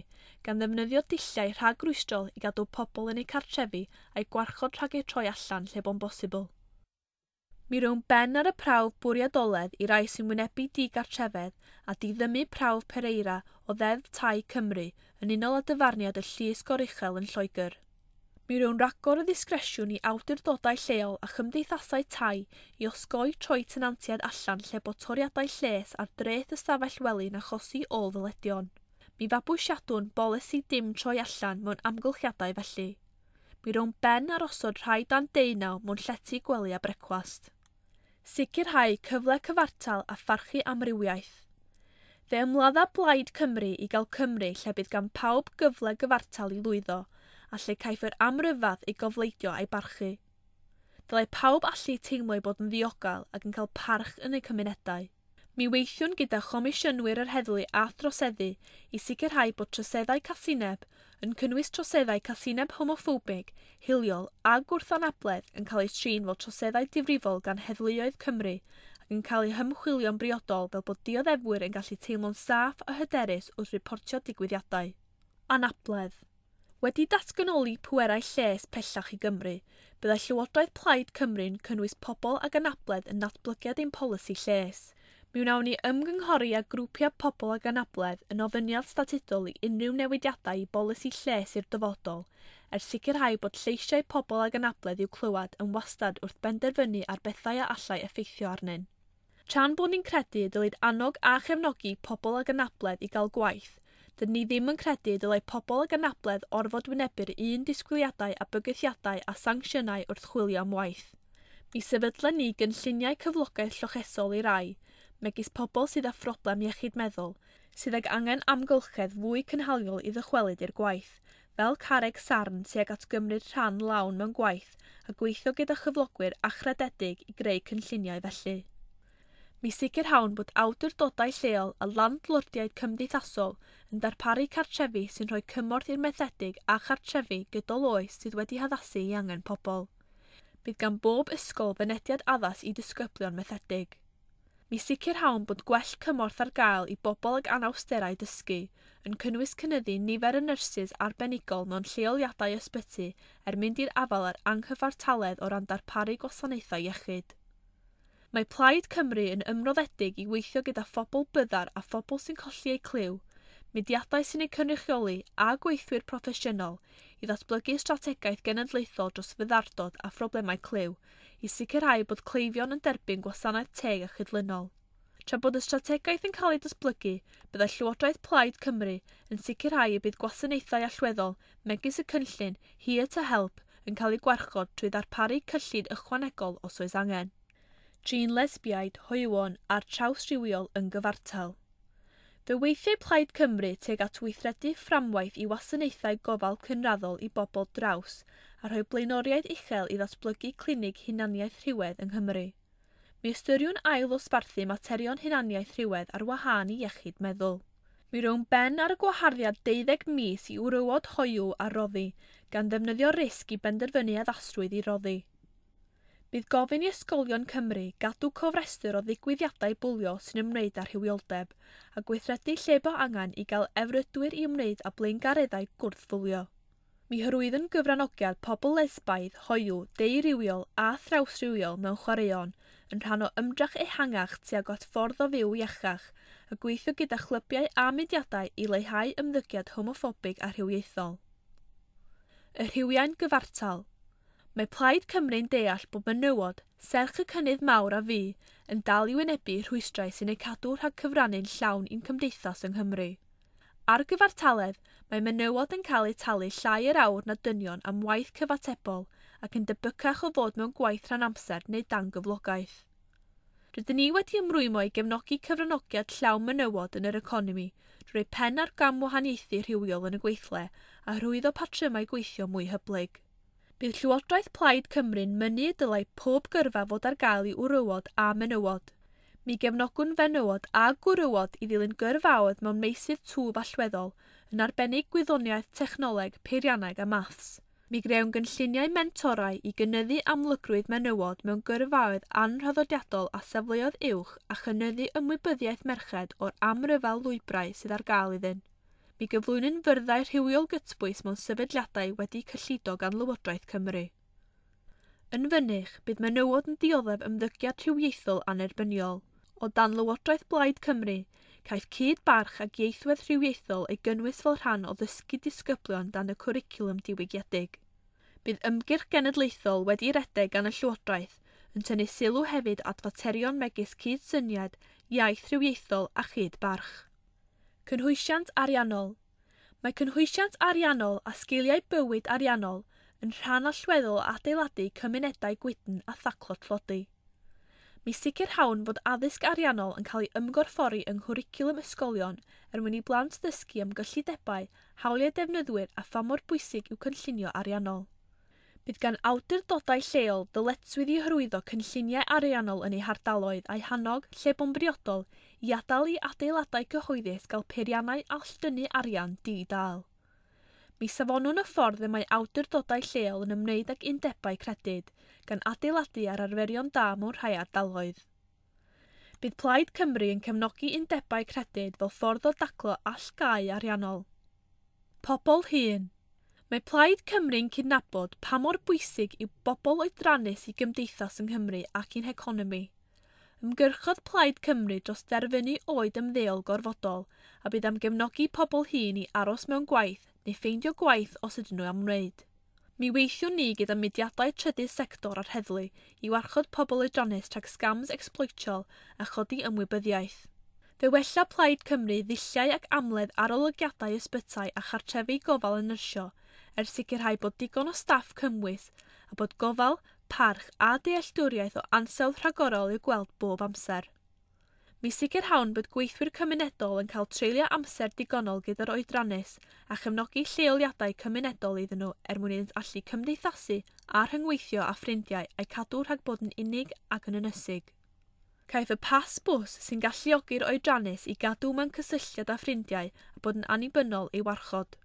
gan ddefnyddio dulliau rhagrwystrol i gadw pobl yn eu cartrefi a'u gwarchod rhag eu troi allan lle bo'n bosibl. Mi rown ben ar y prawf bwriadoledd i rai sy'n wynebu digartrefedd a diddymu prawf Pereira o Ddeddf Tai Cymru yn unol â dyfarniad y Llys Goruchel yn Lloegr. Mi rown ragor o ddisgresiwn i awdurdodau lleol a chymdeithasau tai i osgoi troi tenantiaid allan lle bod toriadau lles ar dreth ystafell wely'n achosi ôl-ddyledion. Mi fabwysiadwn bolisi dim troi allan mewn amgylchiadau felly. Mi rown ben ar osod rhai dan deunaw mewn llety gwely a brecwast. Sicrhau cyfle cyfartal a pharchu amrywiaeth. Fe ymladda Blaid Cymru i gael Cymru lle bydd gan pawb gyfle gyfartal i lwyddo a lle caiff yr amryfedd ei gofleidio a'i barchu. Dylai pawb allu teimlo eu bod yn ddiogel ac yn cael parch yn eu cymunedau. Mi weithiwn gyda chomisiynwyr yr heddlu a throseddu i sicrhau bod troseddau casineb, yn cynnwys troseddau casineb homoffobig, hiliol a gwrth-anabledd yn cael eu trin fel troseddau difrifol gan heddluoedd Cymru ac yn cael eu hymchwilio'n briodol fel bod dioddefwyr yn gallu teimlo'n saff a hyderus wrth riportio digwyddiadau. Anabledd. Wedi datganoli pwerau lles pellach i Gymru, byddai Llywodraeth Plaid Cymru'n cynnwys pobl ag anabledd yn natblygiad ein polisi lles. Mi wnawn ni ymgynghori â grwpiau pobl ag anabledd yn ofyniad statudol i unrhyw newidiadau i bolisi lles i'r dyfodol, er sicrhau bod lleisiau pobl ag anabledd i'w clywed yn wastad wrth benderfynu ar bethau a allai effeithio arnyn. Tra'n bod ni'n credu y dylid annog a chefnogi pobl ag anabledd i gael gwaith, dydyn ni ddim yn credu y dylai pobl ag anabledd orfod wynebu'r un disgwyliadau a bygythiadau a sancsiynau wrth chwilio am waith. Mi sefydlen ni gynlluniau cyflogaeth llochesol i rai, megis pobl sydd â phroblem iechyd meddwl, sydd ag angen amgylchedd fwy cynhaliol i ddychwelyd i'r gwaith, fel carreg sarn tuag at gymryd rhan lawn mewn gwaith a gweithio gyda chyflogwyr achrededig i greu cynlluniau felly. Mi sicrhawn bod awdurdodau lleol a landlordiaid cymdeithasol yn darparu cartrefi sy'n rhoi cymorth i'r methedig a chartrefi gydol oes sydd wedi haddasu i angen pobl. Bydd gan bob ysgol fynediad addas i disgyblion methedig. Mi sicrhawn bod gwell cymorth ar gael i bobl ag anawsterau dysgu, yn cynnwys cynyddu nifer y nyrsys arbenigol mewn lleoliadau ysbyty er mynd i'r afael â'r anghyfartaledd o ran darparu gwasanaethau iechyd. Mae Plaid Cymru yn ymroddedig i weithio gyda phobl byddar a phobl sy'n colli eu clyw, mudiadau sy'n eu cynrychioli a gweithwyr proffesiynol i ddatblygu strategaeth genedlaethol dros fyddardod a phroblemau clyw i sicrhau bod cleifion yn derbyn gwasanaeth teg a chydlynol. Tra bod y strategaeth yn cael ei datblygu, byddai Llywodraeth Plaid Cymru yn sicrhau y bydd gwasanaethau allweddol megis y cynllun Here to Help yn cael eu gwarchod trwy ddarparu cyllid ychwanegol os oes angen. Trin lesbiaid, hoywon a'r trawsrywiol yn gyfartal. Fe weithiau Plaid Cymru tuag at weithredu fframwaith i wasanaethau gofal cynraddol i bobl draws a rhoi blaenoriaeth uchel i ddatblygu clinig hunaniaeth rhywedd yng Nghymru. Mi ystyriwn ail ddosbarthu materion hunaniaeth rhywedd ar wahân i iechyd meddwl. Mi rown ben ar y gwaharddiad 12 mis i wrywod hoyw a roddi, gan ddefnyddio risg i benderfynu addasrwydd i roddi. Bydd gofyn i ysgolion Cymru gadw cofrestr o ddigwyddiadau bwlio sy'n ymwneud â rhywioldeb a gweithredu lle bo angen i gael efrydwyr i ymwneud â blaengareddau gwrthfwlio. Mi hyrwyddwn gyfranogiad pobl lesbaidd, hoyw, deurywiol a thrawsrywiol mewn chwaraeon yn rhan o ymdrech ehangach tuag at ffordd o fyw iachach a gweithio gyda chlybiau a mudiadau i leihau ymddygiad homoffobig a rhywiaethol. Y rhywiau'n gyfartal. Mae Plaid Cymru'n deall bod menywod, serch y cynnydd mawr a fu, yn dal i wynebu rhwystrau sy'n eu cadw rhag cyfrannu'n llawn i'n cymdeithas yng Nghymru. Ar gyfartaledd, mae menywod yn cael eu talu llai yr awr na dynion am waith cyfatebol ac yn debycach o fod mewn gwaith rhan amser neu dan gyflogaeth. Rydyn ni wedi ymrwymo i gefnogi cyfranogiad llawn menywod yn yr economi drwy pen ar gam wahaniaethu rhywiol yn y gweithle a hyrwyddo patrymau gweithio mwy hyblyg. Bydd Llywodraeth Plaid Cymru'n mynnu y dylai pob gyrfa fod ar gael i wrywod a menywod. Mi gefnogwn fenywod a gwrywod i ddilyn gyrfaoedd mewn meysydd twf allweddol, yn arbennig gwyddoniaeth, technoleg, peirianneg a maths. Mi grewn gynlluniau mentorau i gynyddu amlygrwydd menywod mewn gyrfaoedd anhraddodiadol a safleoedd uwch a chynyddu ymwybyddiaeth merched o'r amryfal lwybrau sydd ar gael iddyn. Mi gyflwynwn fyrddau rhywiol gytbwys mewn sefydliadau wedi cyllido gan Lywodraeth Cymru. Yn fynych, bydd menywod yn dioddef ymddygiad rhywiaethol annerbyniol. O dan Lywodraeth Blaid Cymru, caiff cyd-barch ac ieithwedd rhywiaethol ei gynnwys fel rhan o ddysgu disgyblion dan y cwricwlwm diwygiedig. Bydd ymgyrch genedlaethol wedi redeg gan y Llywodraeth yn tynnu sylw hefyd at faterion megis cydsyniad, iaith rhywiaethol a chyd-barch. Cynhwysiant ariannol. Mae cynhwysiant ariannol a sgiliau bywyd ariannol yn rhan allweddol o adeiladu cymunedau gwydn a thaclo tlodi. Mi sicrhawn fod addysg ariannol yn cael ei ymgorffori yng nghwricwlwm ysgolion er mwyn i blant ddysgu am gyllidebau, hawliau defnyddwyr a pha mor bwysig yw cynllunio ariannol. Bydd gan awdurdodau lleol ddyletswydd i hyrwyddo cynlluniau ariannol yn eu hardaloedd a'u hannog, lle bo'n briodol, i adael i adeiladau cyhoeddus gael peiriannau alldynnu arian di-dâl. Mi safonwn y ffordd y mae awdurdodau lleol yn ymwneud ag undebau credyd, gan adeiladu ar arferion da mewn rhai ardaloedd. Bydd Plaid Cymru yn cefnogi undebau credyd fel ffordd o daclo allgau ariannol. Pobl hŷn. Mae Plaid Cymru'n cydnabod pa mor bwysig yw bobl oedrannus i gymdeithas yng Nghymru ac i'n heconomi. Ymgyrchodd Plaid Cymru dros derfynu oed ymddeol gorfodol a bydd am gefnogi pobl hŷn i aros mewn gwaith neu ffeindio gwaith os ydyn nhw am wneud. Mi weithiwn ni gyda mudiadau trydydd sector a'r heddlu i warchod pobl oedrannus rhag scams ecsbloetiol a chodi ymwybyddiaeth. Fe wella Plaid Cymru ddulliau ac amledd arolygiadau ysbytai a chartrefi gofal yn nyrsio er sicrhau bod digon o staff cymwys a bod gofal, parch a dealltwriaeth o ansawdd rhagorol i'w gweld bob amser. Mi sicrhawn bod gweithwyr cymunedol yn cael treulio amser digonol gyda'r oedrannus a chefnogi lleoliadau cymunedol iddyn nhw er mwyn iddynt allu cymdeithasu a rhyngweithio â ffrindiau a'u cadw rhag bod yn unig ac yn ynysig. Caiff y pas bws sy'n galluogi'r oedrannus i gadw mewn cysylltiad â ffrindiau a bod yn annibynnol ei warchod.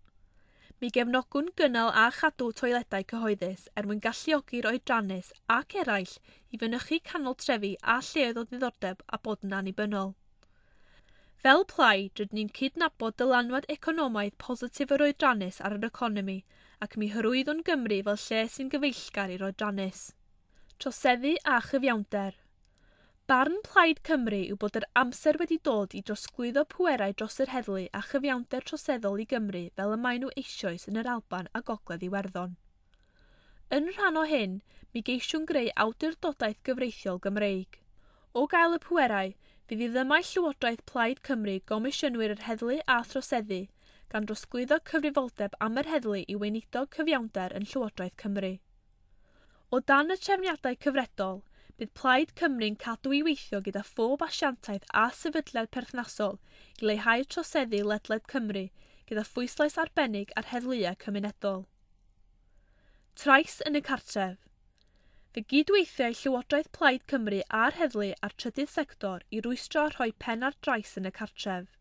Mi gefnogwn gynnal a chadw toiledau cyhoeddus er mwyn galluogi'r oedrannus ac eraill i fynychu canol trefi a lleoedd o ddiddordeb a bod yn annibynnol. Fel plaid, rydyn ni'n cydnabod dylanwad economaidd positif yr oedrannus ar yr economi ac mi hyrwyddwn Gymru fel lle sy'n gyfeillgar i'r oedrannus. Troseddu a chyfiawnder. Barn Plaid Cymru yw bod yr amser wedi dod i drosglwyddo pwerau dros yr heddlu a chyfiawnder troseddol i Gymru fel y maen nhw eisoes yn yr Alban a Gogledd Iwerddon. Yn rhan o hyn, mi geisiwn greu awdurdodaeth gyfreithiol Gymreig. O gael y pwerau, fydd i ddymau Llywodraeth Plaid Cymru gomisiynwyr yr heddlu a throseddu, gan drosglwyddo cyfrifoldeb am yr heddlu i weinidog cyfiawnder yn Llywodraeth Cymru. O dan y trefniadau cyfredol, bydd Plaid Cymru'n cadw i weithio gyda phob asiantaeth a sefydliad perthnasol i leihau troseddu ledled Cymru gyda phwyslais arbennig ar heddluau cymunedol. Trais yn y cartref. Fe gydweithiau Llywodraeth Plaid Cymru a'r heddlu a'r trydydd sector i rwystro a rhoi pen ar drais yn y cartref.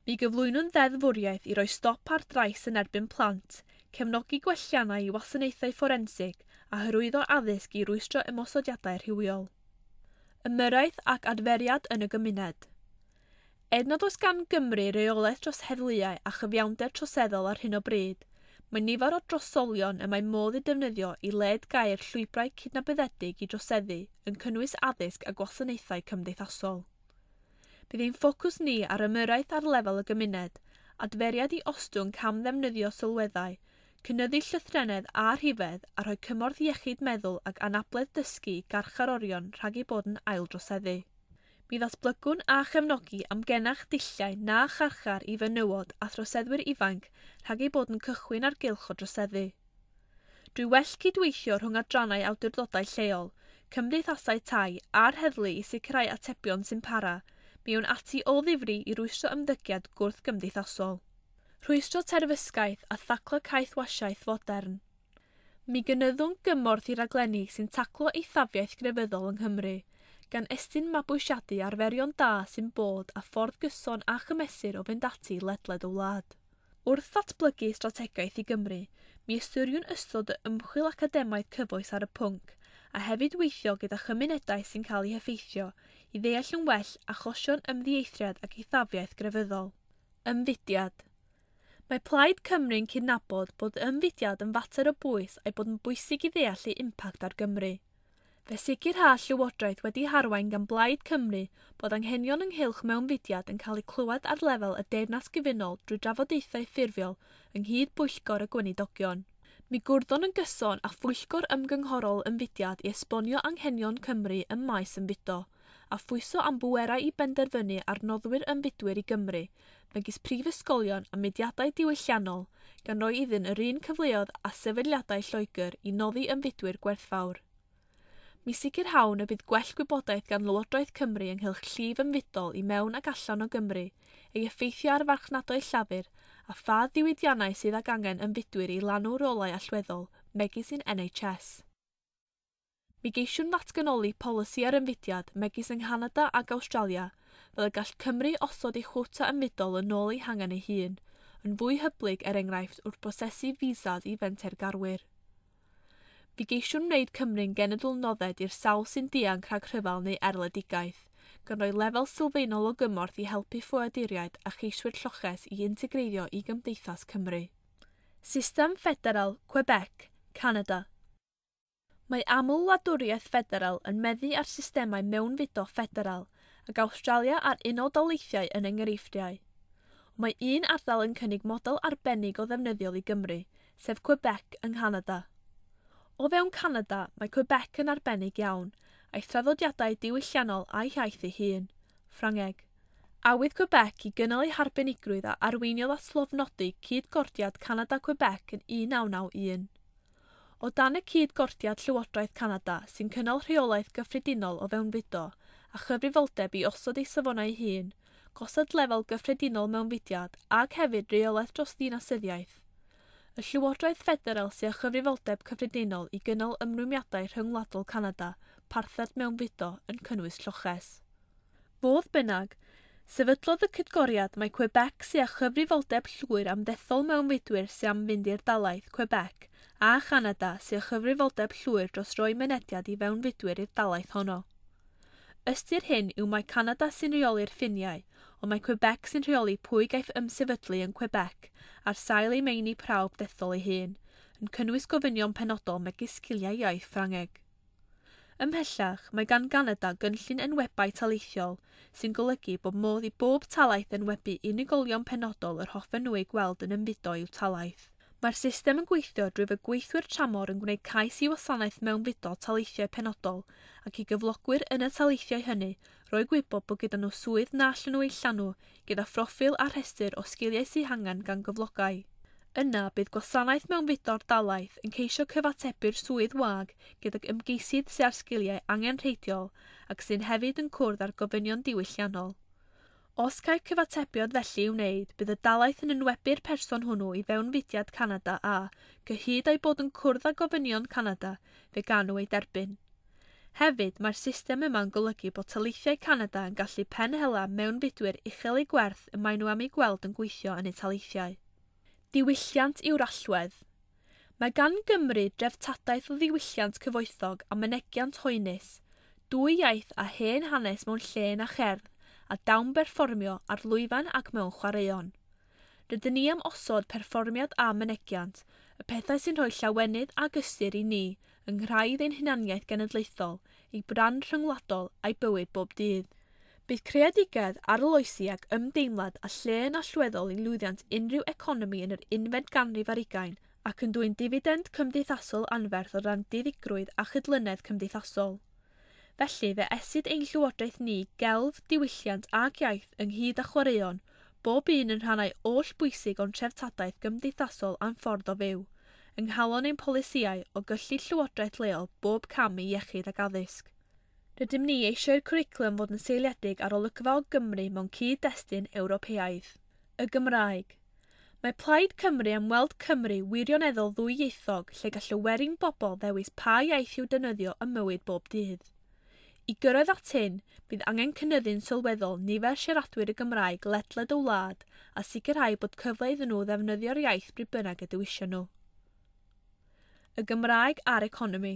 Mi gyflwynwn ddeddfwriaeth i roi stop ar drais yn erbyn plant, cefnogi gwelliannau i wasanaethau fforensig a hyrwyddo addysg i rwystro ymosodiadau rhywiol. Ymyrraeth ac adferiad yn y gymuned. Er nad oes gan Gymru reolaeth dros heddluau a chyfiawnder troseddol ar hyn o bryd, mae nifer o drosolion y mae modd eu defnyddio i led gair llwybrau cydnabyddedig i droseddu yn cynnwys addysg a gwasanaethau cymdeithasol. Bydd ein ffocws ni ar ymyrraeth ar lefel y gymuned, adferiad i ostwng camddefnyddio sylweddau, cynyddu llythrennedd a rhifedd a rhoi cymorth iechyd meddwl ac anabledd dysgu i garcharorion rhag eu bod yn aildroseddu. Mi ddatblygwn a chefnogi amgenach dulliau na charchar i fenywod a throseddwyr ifanc rhag eu bod yn cychwyn ar gylch o droseddu. Drwy well cydweithio rhwng adrannau awdurdodau lleol, cymdeithasau tai a'r heddlu i sicrhau atebion sy'n para, mi awn ati o ddifri i rwystro ymddygiad gwrthgymdeithasol. Rhwystro terfysgaeth a thaclo caethwasiaeth fodern. Mi gynyddwn gymorth i raglenni sy'n taclo eithafiaeth grefyddol yng Nghymru, gan estyn mabwysiadu arferion da sy'n bod a ffordd gyson a chymesur o fynd ati ledled y wlad. Wrth ddatblygu strategaeth i Gymru, mi ystyriwn ystod y ymchwil academaidd cyfoes ar y pwnc, a hefyd weithio gyda chymunedau sy'n cael eu heffeithio i ddeall yn well achosion ymddieithriad ac eithafiaeth grefyddol. Ymfudiad. Mae Plaid Cymru'n cydnabod bod ymfudiad yn fater o bwys a'i bod yn bwysig i ddeall ei impact ar Gymru. Fe sicrha Llywodraeth wedi harwain gan Blaid Cymru bod anghenion ynghylch mewnfudiad yn cael eu clywed ar lefel y Deyrnas Gyfunol drwy drafodaethau ffurfiol ynghyd bwyllgor y Gweinidogion. Mi gwrddon yn gyson â phwyllgor ymgynghorol ymfudiad i esbonio anghenion Cymru ym maes ymfudo, a phwyso am bwerau i benderfynu ar noddwyr ymfudwyr i Gymru, megis prifysgolion a mudiadau diwylliannol, gan roi iddyn yr un cyfleoedd a sefydliadau Lloegr i noddi ymfudwyr gwerthfawr. Mi sicrhawn y bydd gwell gwybodaeth gan Lywodraeth Cymru ynghylch llif ymfudol i mewn ac allan o Gymru, ei effeithio ar farchnadoedd llafur, a pha ddiwydiannau sydd ag angen ymfudwyr i lanw rolau allweddol, megis yn NHS. Mi geisiwn ddatganoli polisi ar ymfudiad megis yng Nghanada ac Awstralia, fel y gall Cymru osod ei chwota ymfudol yn ôl ei hangen ei hun, yn fwy hyblyg er enghraifft wrth brosesu fisas i fentergarwyr. Mi geisiwn wneud Cymru'n genedl nodded i'r sawl sy'n dianc rhag rhyfel neu erledigaeth, gan roi lefel sylfaenol o gymorth i helpu ffoaduriaid a cheiswyr lloches i integreiddio i gymdeithas Cymru. System Ffederal, Quebec, Canada. Mae aml-wladwriaeth ffederal yn meddu ar systemau mewnfudo ffederal, ac Awstralia a'r Unol Daleithiau yn enghreifftiau. Ond mae un ardal yn cynnig model arbennig o ddefnyddiol i Gymru, sef Quebec yng Nghanada. O fewn Canada, mae Quebec yn arbennig iawn, a'i thraddodiadau diwylliannol a'i hiaith ei hun, Ffrangeg. Awydd Quebec i gynnal ei harbenigrwydd a arweiniodd at lofnodi cyd-gordiad Canada-Quebec yn 1991. O dan y cyd-gordiad Llywodraeth Canada sy'n cynnal rheolaeth gyffredinol o fewnfudo a chyfrifoldeb i osod ei safonau ei hun, gosod lefel gyffredinol mewnfudiad ac hefyd reolaeth dros ddinasyddiaeth. Y Llywodraeth Ffederal sydd â chyfrifoldeb cyffredinol i gynnal ymrwymiadau rhyngwladol Canada, parthed mewnfudo yn cynnwys lloches. Fodd bynnag, sefydlodd y cydgoriad mai Quebec sydd â chyfrifoldeb llwyr am ddethol mewnfudwyr sydd am fynd i'r dalaith Quebec a Chanada sydd â chyfrifoldeb llwyr dros roi mynediad i fewnfudwyr i'r dalaith honno. Ystyr hyn yw mai Canada sy'n rheoli'r ffiniau, ond mae Quebec sy'n rheoli pwy gaiff ymsefydlu yn Quebec ar sail ei meini prawf dethol ei hun, yn cynnwys gofynion penodol megis sgiliau iaith Ffrangeg. Ymhellach, mae gan Ganada gynllun enwebau taleithiol sy'n golygu bod modd i bob talaith enwebu unigolion penodol yr hoffen nhw eu gweld yn ymfudo i'w talaith. Mae'r system yn gweithio drwy fod gweithwyr tramor yn gwneud cais i wasanaeth mewnfudo taleithiau penodol ac i gyflogwyr yn y taleithiau hynny roi gwybod bod gyda nhw swydd na allan nhw ei llanw gyda phroffil a rhestr o sgiliau sy'n hangen gan gyflogau. Yna, bydd gwasanaeth mewnfudo'r dalaith yn ceisio cyfatebu'r swydd wag gydag ymgeisydd sydd â'r sgiliau angenrheidiol ac sy'n hefyd yn cwrdd â'r gofynion diwylliannol. Os caiff cyfatebiad felly i'w wneud, bydd y dalaith yn enwebu'r person hwnnw i fewnfudiad Canada a, cyhyd â'i bod yn cwrdd â gofynion Canada, fe gan nhw ei derbyn. Hefyd, mae'r system yma'n golygu bod taleithiau Canada yn gallu penhela mewnfudwyr uchel eu gwerth y maen nhw am eu gweld yn gweithio yn eu taleithiau. Diwylliant yw'r allwedd. Mae gan Gymru dreftadaeth o ddiwylliant cyfoethog a mynegiant hoenus, dwy iaith a hen hanes mewn llên a cherdd, a dawn berfformio ar lwyfan ac mewn chwaraeon. Rydyn ni am osod perfformiad a mynegiant, y pethau sy'n rhoi llawenydd ac ystyr i ni yng nghraidd ein hunaniaeth genedlaethol, ei brand rhyngwladol a'i bywyd bob dydd. Bydd creadigedd, arloesi ac ymdeimlad a lle yn allweddol i lwyddiant unrhyw economi yn yr unfed ganrif ar hugain ac yn dwyn difidend cymdeithasol anferth o ran diddigrwydd a chydlynedd cymdeithasol. Felly, fe esid ein llywodraeth ni gelf, diwylliant ac iaith ynghyd â chwaraeon, bob un yn rhannau oll bwysig o'n treftadaeth gymdeithasol a'n ffordd o fyw, yng nghalon ein polisïau o gyllid llywodraeth leol bob cam i iechyd ac addysg. Rydym ni eisiau'r cwricwlwm fod yn seiliedig ar olygfa o Gymru mewn cyd-destun Ewropeaidd. Y Gymraeg. Mae Plaid Cymru am weld Cymru wirioneddol ddwyieithog lle gall y werin bobl ddewis pa iaith i'w defnyddio ym mywyd bob dydd. I gyrraedd at hyn, bydd angen cynyddu'n sylweddol nifer siaradwyr y Gymraeg ledled y wlad a sicrhau bod cyfle iddyn nhw ddefnyddio'r iaith bryd bynnag y dewision nhw. Y Gymraeg a'r economi.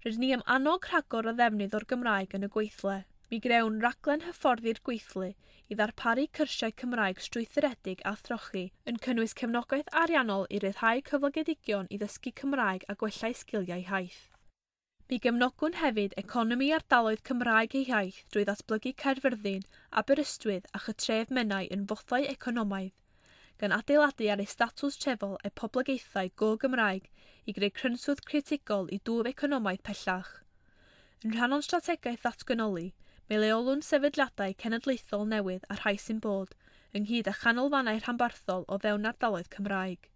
Rydyn ni am annog rhagor o ddefnydd o'r Gymraeg yn y gweithle. Mi grewn raglen hyfforddi'r gweithlu i ddarparu cyrsiau Cymraeg strwythuredig a throchi, yn cynnwys cefnogaeth ariannol i ryddhau cyflogedigion i ddysgu Cymraeg a gwella'u sgiliau iaith. Mi gefnogwn hefyd economi ardaloedd Cymraeg eu hiaith drwy ddatblygu Caerfyrddin, Aberystwyth a Chytref Menai yn fothau economaidd, gan adeiladu ar eu statws trefol a'u poblogaethau go-Gymraeg i greu crynswth critigol i dwf economaidd pellach. Yn rhan o'n strategaeth ddatganoli, mi leolwn sefydliadau cenedlaethol newydd a rhai sy'n bod, ynghyd â chanolfannau rhanbarthol o fewn ardaloedd Cymraeg.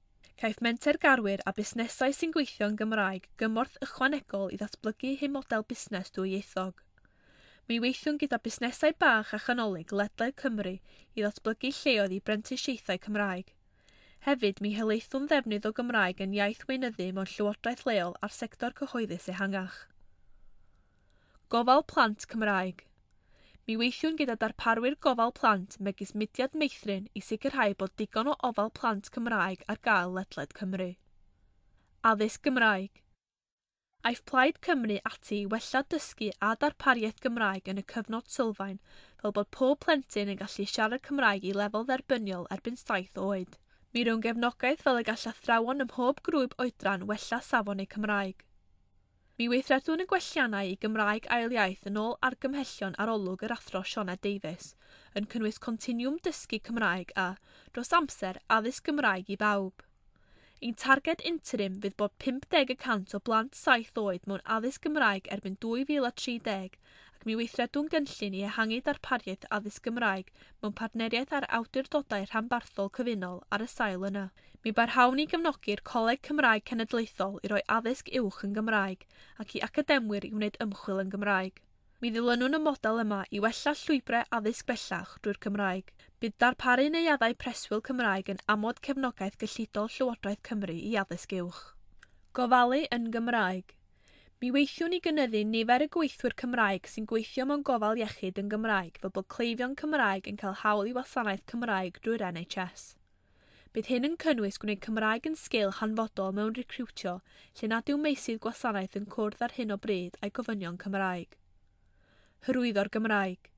Caiff mentergarwyr a busnesau sy'n gweithio yn Gymraeg gymorth ychwanegol i ddatblygu eu model busnes dwyieithog. Mi weithiwn gyda busnesau bach a chanolig ledled Cymru i ddatblygu lleoedd i brentisiaethau Cymraeg. Hefyd, mi helaethwn ddefnydd o Gymraeg yn iaith weinyddu mewn llywodraeth leol a'r sector cyhoeddus ehangach. Gofal plant Cymraeg. Mi weithiwn gyda darparwyr gofal plant megis Mudiad Meithrin i sicrhau bod digon o ofal plant Cymraeg ar gael ledled Cymru. Addysg Gymraeg. Aiff Plaid Cymru ati i wella dysgu a darpariaeth Gymraeg yn y cyfnod sylfaen fel bod pob plentyn yn gallu siarad Cymraeg i lefel dderbyniol erbyn 7 oed. Mi rown gefnogaeth fel y gall athrawon ym mhob grŵp oedran wella safon eu Cymraeg. Mi weithredwn y gwelliannau i Gymraeg ail iaith yn ôl argymhellion arolwg yr athro Sioned Davies, yn cynnwys continwm dysgu Cymraeg a, dros amser, addysg Gymraeg i bawb. Ein targed interim fydd bod 50% o blant 7 oed mewn addysg Gymraeg erbyn 2030 ac mi weithredwn gynllun i ehangu darpariaeth addysg Gymraeg mewn partneriaeth â'r awdurdodau rhanbarthol cyfunol ar y sail yna. Mi barhawn i gefnogi'r Coleg Cymraeg Cenedlaethol i roi addysg uwch yn Gymraeg ac i academwyr i wneud ymchwil yn Gymraeg. Mi ddilynwn y model yma i wella llwybrau addysg bellach drwy'r Cymraeg. Bydd darparu neuaddau preswyl Cymraeg yn amod cefnogaeth gyllidol Llywodraeth Cymru i addysg uwch. Gofalu yn Gymraeg. Mi weithiwn i gynyddu nifer y gweithwyr Cymraeg sy'n gweithio mewn gofal iechyd yn Gymraeg fel bod cleifion Cymraeg yn cael hawl i wasanaeth Cymraeg drwy'r NHS. Bydd hyn yn cynnwys gwneud Cymraeg yn sgil hanfodol mewn recriwtio lle nad yw meysydd gwasanaeth yn cwrdd ar hyn o bryd â'i gofynion Cymraeg. Hyrwyddo'r Gymraeg.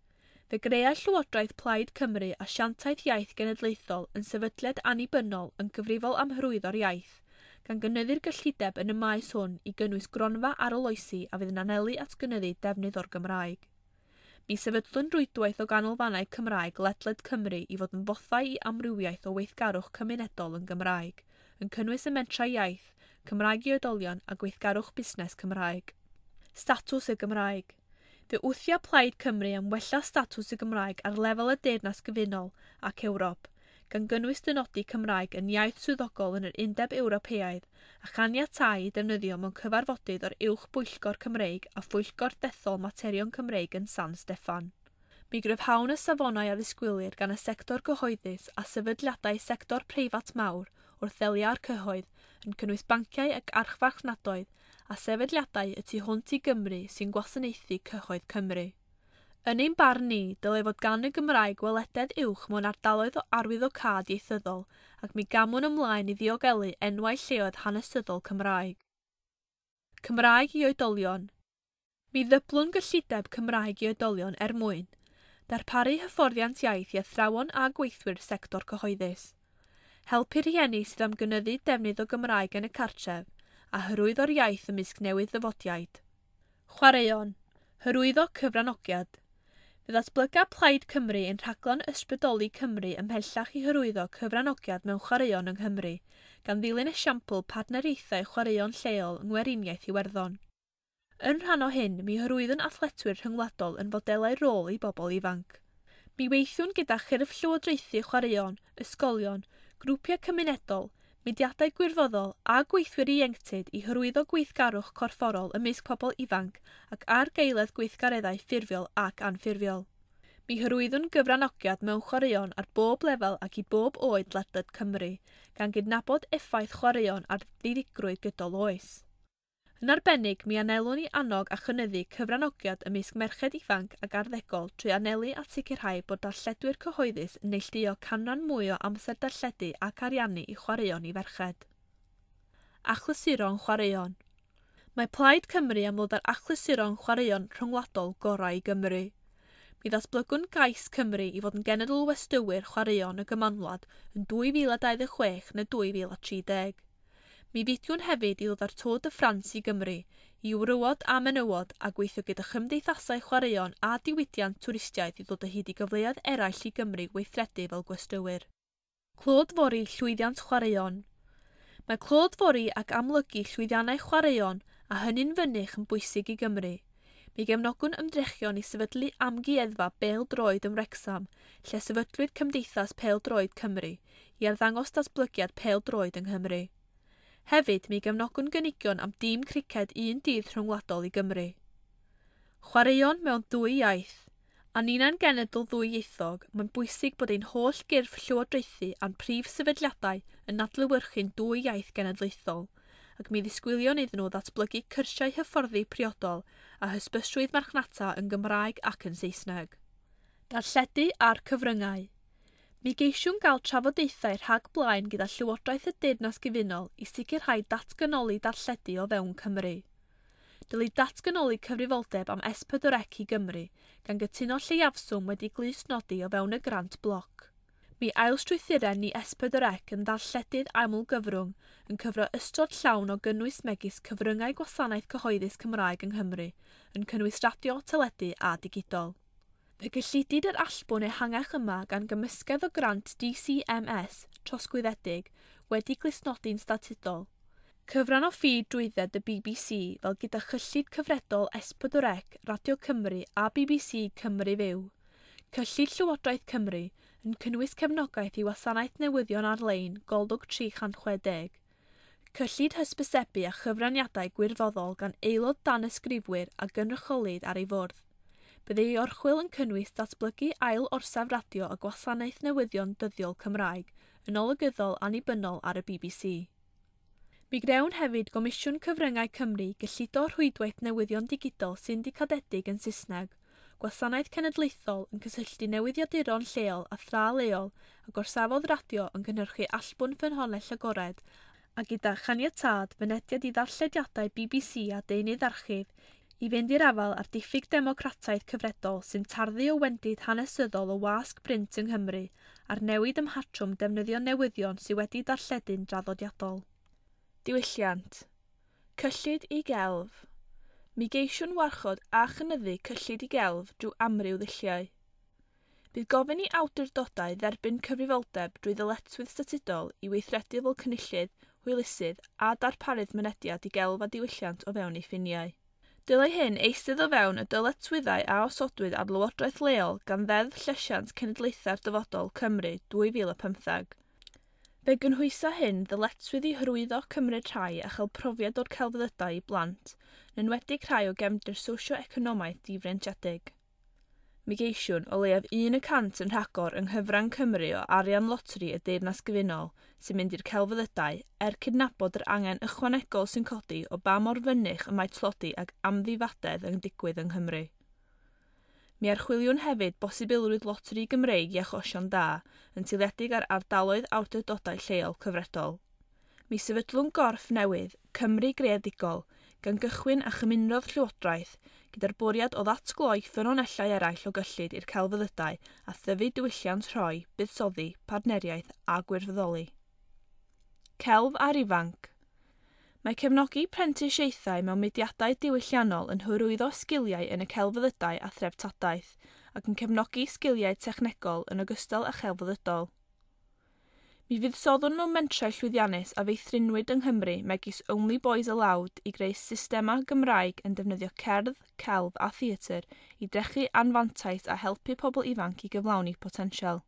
Fe greai Llywodraeth Plaid Cymru Asiantaeth Iaith Genedlaethol yn sefydliad annibynnol yn gyfrifol am hyrwyddo'r iaith, gan gynyddu'r gyllideb yn y maes hwn i gynnwys gronfa arloesi a fydd yn anelu at gynyddu defnydd o'r Gymraeg. Mi sefydlwn rwydwaith o ganolfannau Cymraeg ledled Cymru i fod yn fothau i amrywiaeth o weithgarwch cymunedol yn Gymraeg, yn cynnwys y mentrau iaith, Cymraeg i oedolion a gweithgarwch busnes Cymraeg. Statws y Gymraeg. Fe wthia Plaid Cymru am wella statws y Gymraeg ar lefel y Deyrnas Gyfunol ac Ewrop, gan gynnwys dynodi Cymraeg yn iaith swyddogol yn yr Undeb Ewropeaidd a chaniatáu i defnyddio mewn cyfarfodydd o'r Uwch Bwyllgor Cymreig a Phwyllgor Dethol Materion Cymreig yn San Steffan. Mi gryfhawn y safonau a ddisgwylir gan y sector gyhoeddus a sefydliadau sector preifat mawr wrth ddelio â'r cyhoedd, yn cynnwys banciau ac archfarchnadoedd a sefydliadau y tu hwnt i Gymru sy'n gwasanaethu cyhoedd Cymru. Yn ein barn ni, dylai fod gan y Gymraeg welededd uwch mewn ardaloedd o arwyddocâd ieithyddol ac mi gamwn ymlaen i ddiogelu enwau lleoedd hanesyddol Cymraeg. Cymraeg i oedolion. Mi ddyblwn gyllideb Cymraeg i oedolion er mwyn darparu hyfforddiant iaith i athrawon a gweithwyr sector cyhoeddus, helpu rhieni sydd am gynyddu defnydd o Gymraeg yn y cartref a hyrwyddo'r iaith ymysg newydd ddyfodiaid. Chwaraeon. Hyrwyddo cyfranogiad. Fe ddatblyga Plaid Cymru yn rhaglen Ysbrydoli Cymru ymhellach i hyrwyddo cyfranogiad mewn chwaraeon yng Nghymru, gan ddilyn esiampl partneriaethau chwaraeon lleol yng Ngweriniaeth Iwerddon. Yn rhan o hyn, mi hyrwyddwn athletwyr rhyngwladol yn fodelau rôl i bobl ifanc. Mi weithiwn gyda chyrff llywodraethu chwaraeon, ysgolion, grwpiau cymunedol, mudiadau gwirfoddol a gweithwyr ieuenctid i hyrwyddo gweithgarwch corfforol ymysg pobl ifanc ac argaeledd gweithgareddau ffurfiol ac anffurfiol. Mi hyrwyddwn gyfranogiad mewn chwaraeon ar bob lefel ac i bob oed ledled Cymru, gan gydnabod effaith chwaraeon ar ddiddigrwydd gydol oes. Yn arbennig, mi anelwn i annog a chynyddu cyfranogiad ymysg merched ifanc ac arddegol trwy anelu at sicrhau bod darlledwyr cyhoeddus yn neilltuo canran mwy o amser darlledu ac ariannu i chwaraeon i ferched. Achlysuron chwaraeon. Mae Plaid Cymru am ddod â'r achlysuron chwaraeon rhyngwladol gorau i Gymru. Mi ddatblygwn gais Cymru i fod yn genedl westywyr chwaraeon y Gymanwlad yn 2026 neu 2030. Mi fudiwn hefyd i ddod â'r Tour de France i Gymru, i wrywod a menywod a gweithio gyda chymdeithasau chwaraeon a diwydiant twristiaeth i ddod o hyd i gyfleoedd eraill i Gymru weithredu fel gwestywyr. Clodfori llwyddiant chwaraeon. Mae clodfori ac amlygu llwyddiannau chwaraeon a hynny'n fynych yn bwysig i Gymru. Mi gefnogwn ymdrechion i sefydlu amgueddfa bêl-droed yn Wrecsam, lle sefydlwyd Cymdeithas Pêl-droed Cymru, i arddangos datblygiad pêl-droed yng Nghymru. Hefyd, mi gefnogwn gynigion am dîm criced un dydd rhyngwladol i Gymru. Chwaraeon mewn dwy iaith. A ninnau'n genedl ddwyieithog, mae'n bwysig bod ein holl gyrff llywodraethu a'n prif sefydliadau yn adlewyrchu'n dwy iaith genedlaethol, ac mi ddisgwylion iddyn nhw ddatblygu cyrsiau hyfforddi priodol a hysbysrwydd marchnata yn Gymraeg ac yn Saesneg. Darlledu a'r cyfryngau. Mi geisiwn gael trafodaethau rhag blaen gyda Llywodraeth y Deyrnas Gyfunol i sicrhau datganoli darlledu o fewn Cymru. Dylid datganoli cyfrifoldeb am S4C i Gymru, gan gytuno lleiafswm wedi glustnodi o fewn y grant bloc. Mi ailstrwythuren ni S4C yn ddarlledydd aml-gyfrwng yn cyfro ystod llawn o gynnwys megis cyfryngau gwasanaeth cyhoeddus Cymraeg yng Nghymru, yn cynnwys radio, teledu a digidol. Fe gyllidid yr allbwn ehangach yma gan gymysgedd o grant DCMS trosglwyddedig wedi glustnodi'n statudol. Cyfran o ffi drwydded y BBC fel gyda chyllid cyfredol S4C, Radio Cymru a BBC Cymru Fyw. Cyllid Llywodraeth Cymru yn cynnwys cefnogaeth i wasanaeth newyddion ar-lein Golwg 360. Cyllid hysbysebu a chyfraniadau gwirfoddol gan aelod danysgrifwyr a gynrychiolid ar ei fwrdd. Bydd ei orchwyl yn cynnwys datblygu ail orsaf radio a gwasanaeth newyddion dyddiol Cymraeg yn olygyddol annibynnol ar y BBC. Mi grewn hefyd Gomisiwn Cyfryngau Cymru gyllido rhwydwaith newyddion digidol syndicadedig yn Saesneg, gwasanaeth cenedlaethol yn cysylltu newyddiaduron lleol a thra leol a gorsafodd radio yn cynhyrchu allbwn ffynhonnell agored a gyda chaniatâd fynediad i ddarllediadau BBC a deunydd archif i fynd i'r afael â'r diffyg democrataidd cyfredol sy'n tarddu o wendid hanesyddol o wasg brint yng Nghymru a'r newid ym mhatrwm defnyddio newyddion sydd wedi darlledu'n draddodiadol. Diwylliant. Cyllid i gelf. Mi geisiwn warchod a chynyddu cyllid i gelf drwy amryw ddulliau. Bydd gofyn i awdurdodau dderbyn cyfrifoldeb drwy ddyletswydd statudol i weithredu fel cynullydd, hwylusydd a darparydd mynediad i gelf a diwylliant o fewn eu ffiniau. Dylai hyn eistedd o fewn y dyletswyddau a osodwyd ar Lywodraeth leol gan Ddeddf Llesiant Cenedlaethau'r Dyfodol Cymru 2015. Fe gynhwysa hyn ddyletswydd i hyrwyddo cymryd rhai a chael profiad o'r celfyddydau i blant, yn enwedig rhai o gefndir socio-economaidd difreintiedig. Mi geisiwn o leiaf 1% yn rhagor yng nghyfran Cymru o arian loteri y Deyrnas Gyfunol sy'n mynd i'r celfyddydau er cydnabod yr angen ychwanegol sy'n codi o ba mor fynych y mae tlodi ac amddifadedd yn digwydd yng Nghymru. Mi archwiliwn hefyd bosibilrwydd loteri Gymreig i achosion da yn seiliedig ar ardaloedd awdurdodau lleol cyfredol. Mi sefydlwn gorff newydd, Cymru Greadigol, gan gychwyn a chymunrodd Llywodraeth gyda'r bwriad o ddatgloi ffynonellau eraill o gyllid i'r celfyddydau a thyfu diwylliant rhoi, buddsoddi, partneriaeth a gwirfoddoli. Celf a'r ifanc. Mae cefnogi prentisiaethau mewn mudiadau diwylliannol yn hyrwyddo sgiliau yn y celfyddydau a threftadaeth ac yn cefnogi sgiliau technegol yn ogystal â chelfyddydol. Mi fuddsoddwn mewn mentrau llwyddiannus a feithrinwyd yng Nghymru megis Only Boys Aloud i greu systemau Gymraeg yn defnyddio cerdd, celf a theatr i drechu anfantais a helpu pobl ifanc i gyflawni potensial.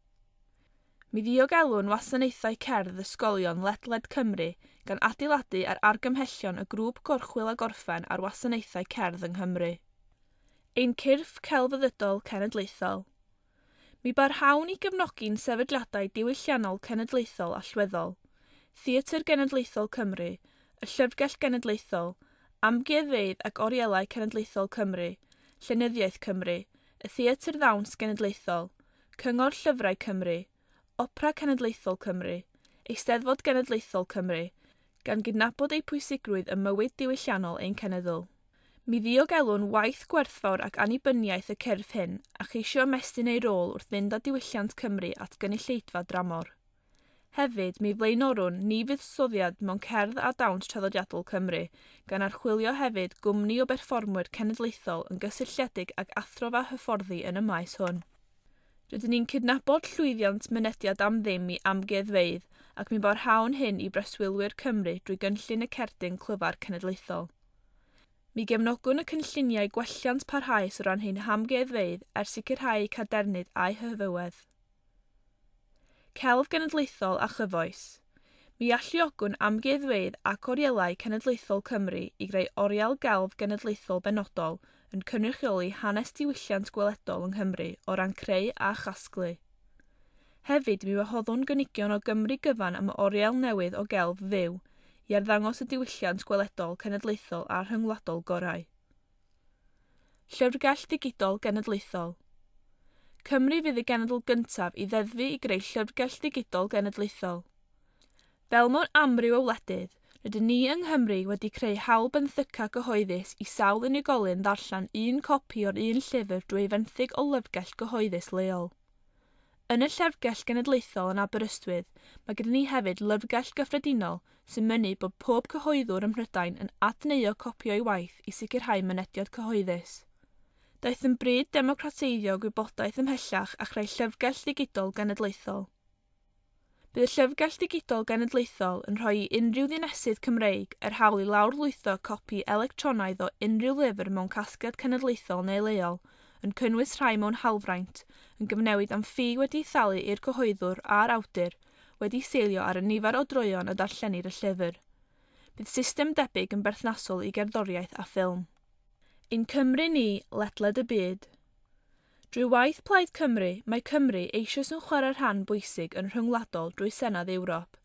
Mi ddiogelwn wasanaethau cerdd ysgolion ledled Cymru gan adeiladu ar argymhellion y grŵp gorchwyl a gorffen ar wasanaethau cerdd yng Nghymru. Ein cyrff celfyddydol cenedlaethol. Mi barhawn i gefnogi'n sefydliadau diwylliannol cenedlaethol allweddol, Theatr Genedlaethol Cymru, y Llyfrgell Genedlaethol, Amgueddfeydd ac Orielau Cenedlaethol Cymru, Llenyddiaeth Cymru, y Theatr Ddawns Genedlaethol, Cyngor Llyfrau Cymru, Opera Cenedlaethol Cymru, Eisteddfod Genedlaethol Cymru, gan gydnabod eu pwysigrwydd ym mywyd diwylliannol ein cenedl. Mi ddiogelwn waith gwerthfawr ac annibyniaeth y cyrff hyn a cheisio ymestyn eu rôl wrth fynd â diwylliant Cymru at gynulleidfa dramor. Hefyd, mi flaenorwn ni fuddsoddiad mewn cerdd a dawns traddodiadol Cymru, gan archwilio hefyd gwmni o berfformwyr cenedlaethol yn gysylltiedig ag athrofa hyfforddi yn y maes hwn. Rydyn ni'n cydnabod llwyddiant mynediad am ddim i amgueddfeydd ac mi barhawn hyn i breswylwyr Cymru drwy gynllun y cerdyn clyfar cenedlaethol. Mi gefnogwn y cynlluniau gwelliant parhaus o ran ein hamgueddfeydd er sicrhau eu cadernid a'u hyfywedd. Celf genedlaethol a chyfoes. Mi alluogwn amgueddfeydd ac orielau cenedlaethol Cymru i greu oriel gelf genedlaethol benodol yn cynrychioli hanes diwylliant gweledol yng Nghymru o ran creu a chasglu. Hefyd, mi wahoddwn gynigion o Gymru gyfan am oriel newydd o gelf fyw i arddangos y diwylliant gweledol cenedlaethol a rhyngwladol gorau. Llyfrgell Digidol Genedlaethol. Cymru fydd y genedl gyntaf i ddeddfu i greu llyfrgell ddigidol genedlaethol. Fel mewn amryw o wledydd, rydyn ni yng Nghymru wedi creu hawl benthyca gyhoeddus i sawl unigolyn ddarllen un copi o'r un llyfr drwy ei fenthyg o lyfrgell gyhoeddus leol. Yn y Llyfrgell Genedlaethol yn Aberystwyth, mae gyda ni hefyd lyfrgell gyffredinol sy'n mynnu bod pob cyhoeddwr ym Mhrydain yn adneuo copi o'i waith i sicrhau mynediad cyhoeddus. Daeth yn bryd democrateiddio gwybodaeth ymhellach a chreu llyfrgell ddigidol genedlaethol. Bydd y Llyfrgell Ddigidol Genedlaethol yn rhoi i unrhyw ddinesydd Cymreig yr hawl i lawrlwytho copi electronaidd o unrhyw lyfr mewn casgliad cenedlaethol neu leol, yn cynnwys rhai mewn hawlfraint, yn gyfnewid am ffi wedi'i thalu i'r cyhoeddwr a'r awdur, wedi seilio ar y nifer o droeon y darllenir y llyfr. Bydd system debyg yn berthnasol i gerddoriaeth a ffilm. Ein Cymru ni, ledled y byd. Drwy waith Plaid Cymru, mae Cymru eisoes yn chwarae rhan bwysig yn rhyngwladol drwy Senedd Ewrop,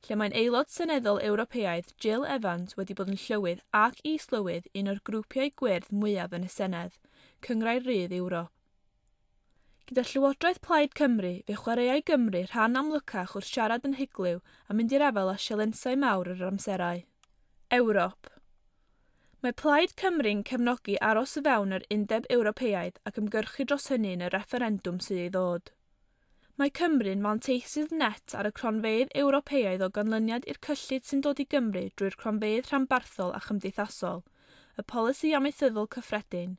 lle mae'n aelod seneddol Ewropeaidd Jill Evans wedi bod yn llywydd ac is-lywydd un o'r grwpiau gwyrdd mwyaf yn y Senedd, Cynghrair Rydd Ewrop. Gyda Llywodraeth Plaid Cymru, fe chwaraeai Gymru rhan amlycach wrth siarad yn hyglyw a mynd i'r afael â sialensau mawr yr amserau. Ewrop. Mae Plaid Cymru'n cefnogi aros o fewn yr Undeb Ewropeaidd ac ymgyrchu dros hynny yn y refferendwm sydd ei ddod. Mae Cymru'n fanteisydd net ar y cronfeydd Ewropeaidd o ganlyniad i'r cyllid sy'n dod i Gymru drwy'r cronfeydd rhanbarthol a chymdeithasol, y polisi amaethyddol cyffredin,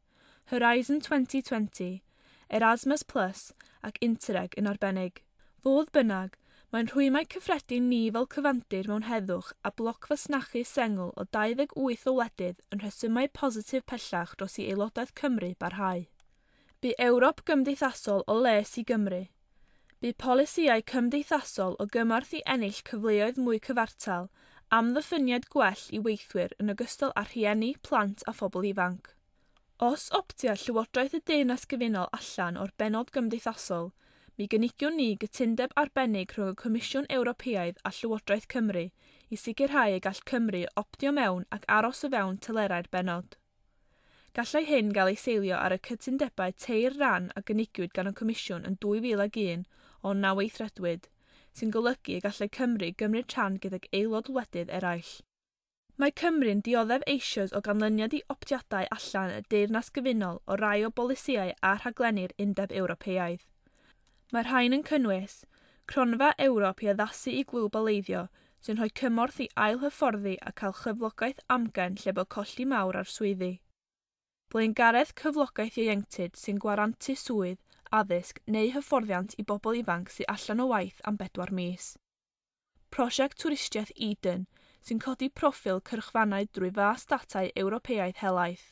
Horizon 2020, Erasmus Plus ac Interreg yn arbennig. Fodd bynnag, mae'n rhwymau cyffredin ni fel cyfandir mewn heddwch a bloc fasnachu sengl o 28 o wledydd yn rhesymau positif pellach dros i aelodaeth Cymru barhau. Bu Ewrop gymdeithasol o les i Gymru. Bu polisïau cymdeithasol o gymorth i ennill cyfleoedd mwy cyfartal, amddiffyniad gwell i weithwyr yn ogystal â rhieni, plant a phobl ifanc. Os optia Llywodraeth y Deyrnas Gyfunol allan o'r bennod gymdeithasol, mi gynigiwn ni gytundeb arbennig rhwng y Comisiwn Ewropeaidd a Llywodraeth Cymru i sicrhau y gall Cymru optio mewn ac aros o fewn telerau'r bennod. Gallai hyn gael ei seilio ar y cytundebau teir ran a gynigiwyd gan y Comisiwn yn 2001 ond na weithredwyd, sy'n golygu y gallai Cymru gymryd rhan gydag aelod wledydd eraill. Mae Cymru'n dioddef eisoes o ganlyniad i optiadau allan y Deyrnas Gyfunol o rai o bolisïau a rhaglenni'r Undeb Ewropeaidd. Mae'r rhain yn cynnwys Cronfa Ewrop i addasu i globaleiddio, sy'n rhoi cymorth i ailhyfforddi a cael chyflogaeth amgen lle bod colli mawr ar swyddi. Blaengaredd cyflogaeth ieuenctid sy'n gwarantu swydd, addysg neu hyfforddiant i bobl ifanc sydd allan o waith am 4 mis. Prosiect Twristiaeth Eden, sy'n codi proffil cyrchfannau drwy fas datau Ewropeaidd helaeth,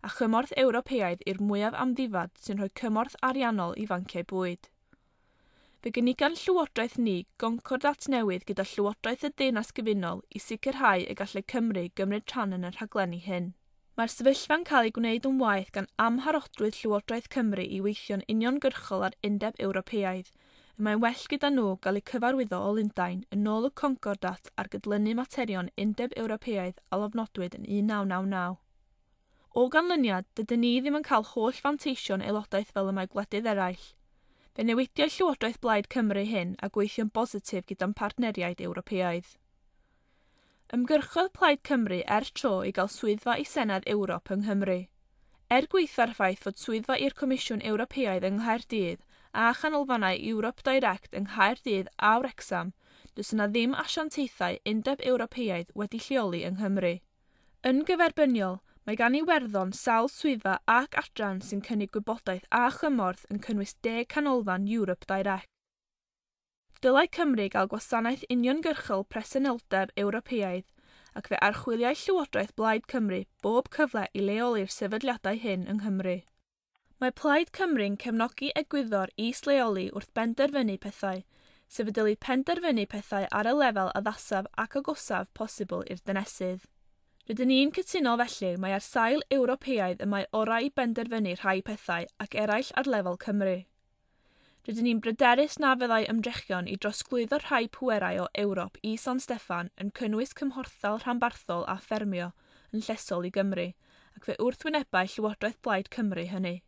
a chymorth Ewropeaidd i'r mwyaf amddifad sy'n rhoi cymorth ariannol i fanciau bwyd. Fe gynigan Llywodraeth ni goncordat newydd gyda Llywodraeth y Deyrnas Gyfunol i sicrhau y gallai Cymru gymryd rhan yn y rhaglenni hyn. Mae'r sefyllfa'n cael ei gwneud yn waeth gan amharodrwydd Llywodraeth Cymru i weithio'n uniongyrchol â'r Undeb Ewropeaidd, y mae'n well gyda nhw gael eu cyfarwyddo o Lundain yn ôl y Concordat ar gydlynu materion Undeb Ewropeaidd a lofnodwyd yn 1999. O ganlyniad, dydyn ni ddim yn cael holl fanteision aelodaeth fel y mae gwledydd eraill. Fe newidiau Llywodraeth Blaid Cymru hyn a gweithio'n bositif gyda'n partneriaid Ewropeaidd. Ymgyrchodd Plaid Cymru er tro i gael swyddfa i Senedd Ewrop yng Nghymru. Er gwaetha'r ffaith fod swyddfa i'r Comisiwn Ewropeaidd yng Nghaerdydd a chanolfannau Europe Direct yng Nghaerdydd a Wrecsam, does yna ddim asiantaethau Undeb Ewropeaidd wedi lleoli yng Nghymru. Yn gyferbyniol, mae gan Iwerddon sawl swyddfa ac adran sy'n cynnig gwybodaeth a chymorth yn cynnwys 10 canolfan Europe Direct. Dylai Cymru gael gwasanaeth uniongyrchol presenoldeb Ewropeaidd ac fe archwiliai Llywodraeth Blaid Cymru bob cyfle i leoli'r sefydliadau hyn yng Nghymru. Mae Plaid Cymru'n cefnogi egwyddor is-leoli wrth benderfynu pethau, sef y dylid penderfynu pethau ar y lefel addasaf ac agosaf posibl i'r dinesydd. Rydyn ni'n cytuno felly mae ar sail Ewropeaidd y mae orau i benderfynu rhai pethau ac eraill ar lefel Cymru. Rydyn ni'n bryderus na fyddai ymdrechion i drosglwyddo rhai pwerau o Ewrop i San Steffan yn cynnwys cymhorthdal rhanbarthol a ffermio yn llesol i Gymru, ac fe wrthwynebau Llywodraeth Blaid Cymru hynny.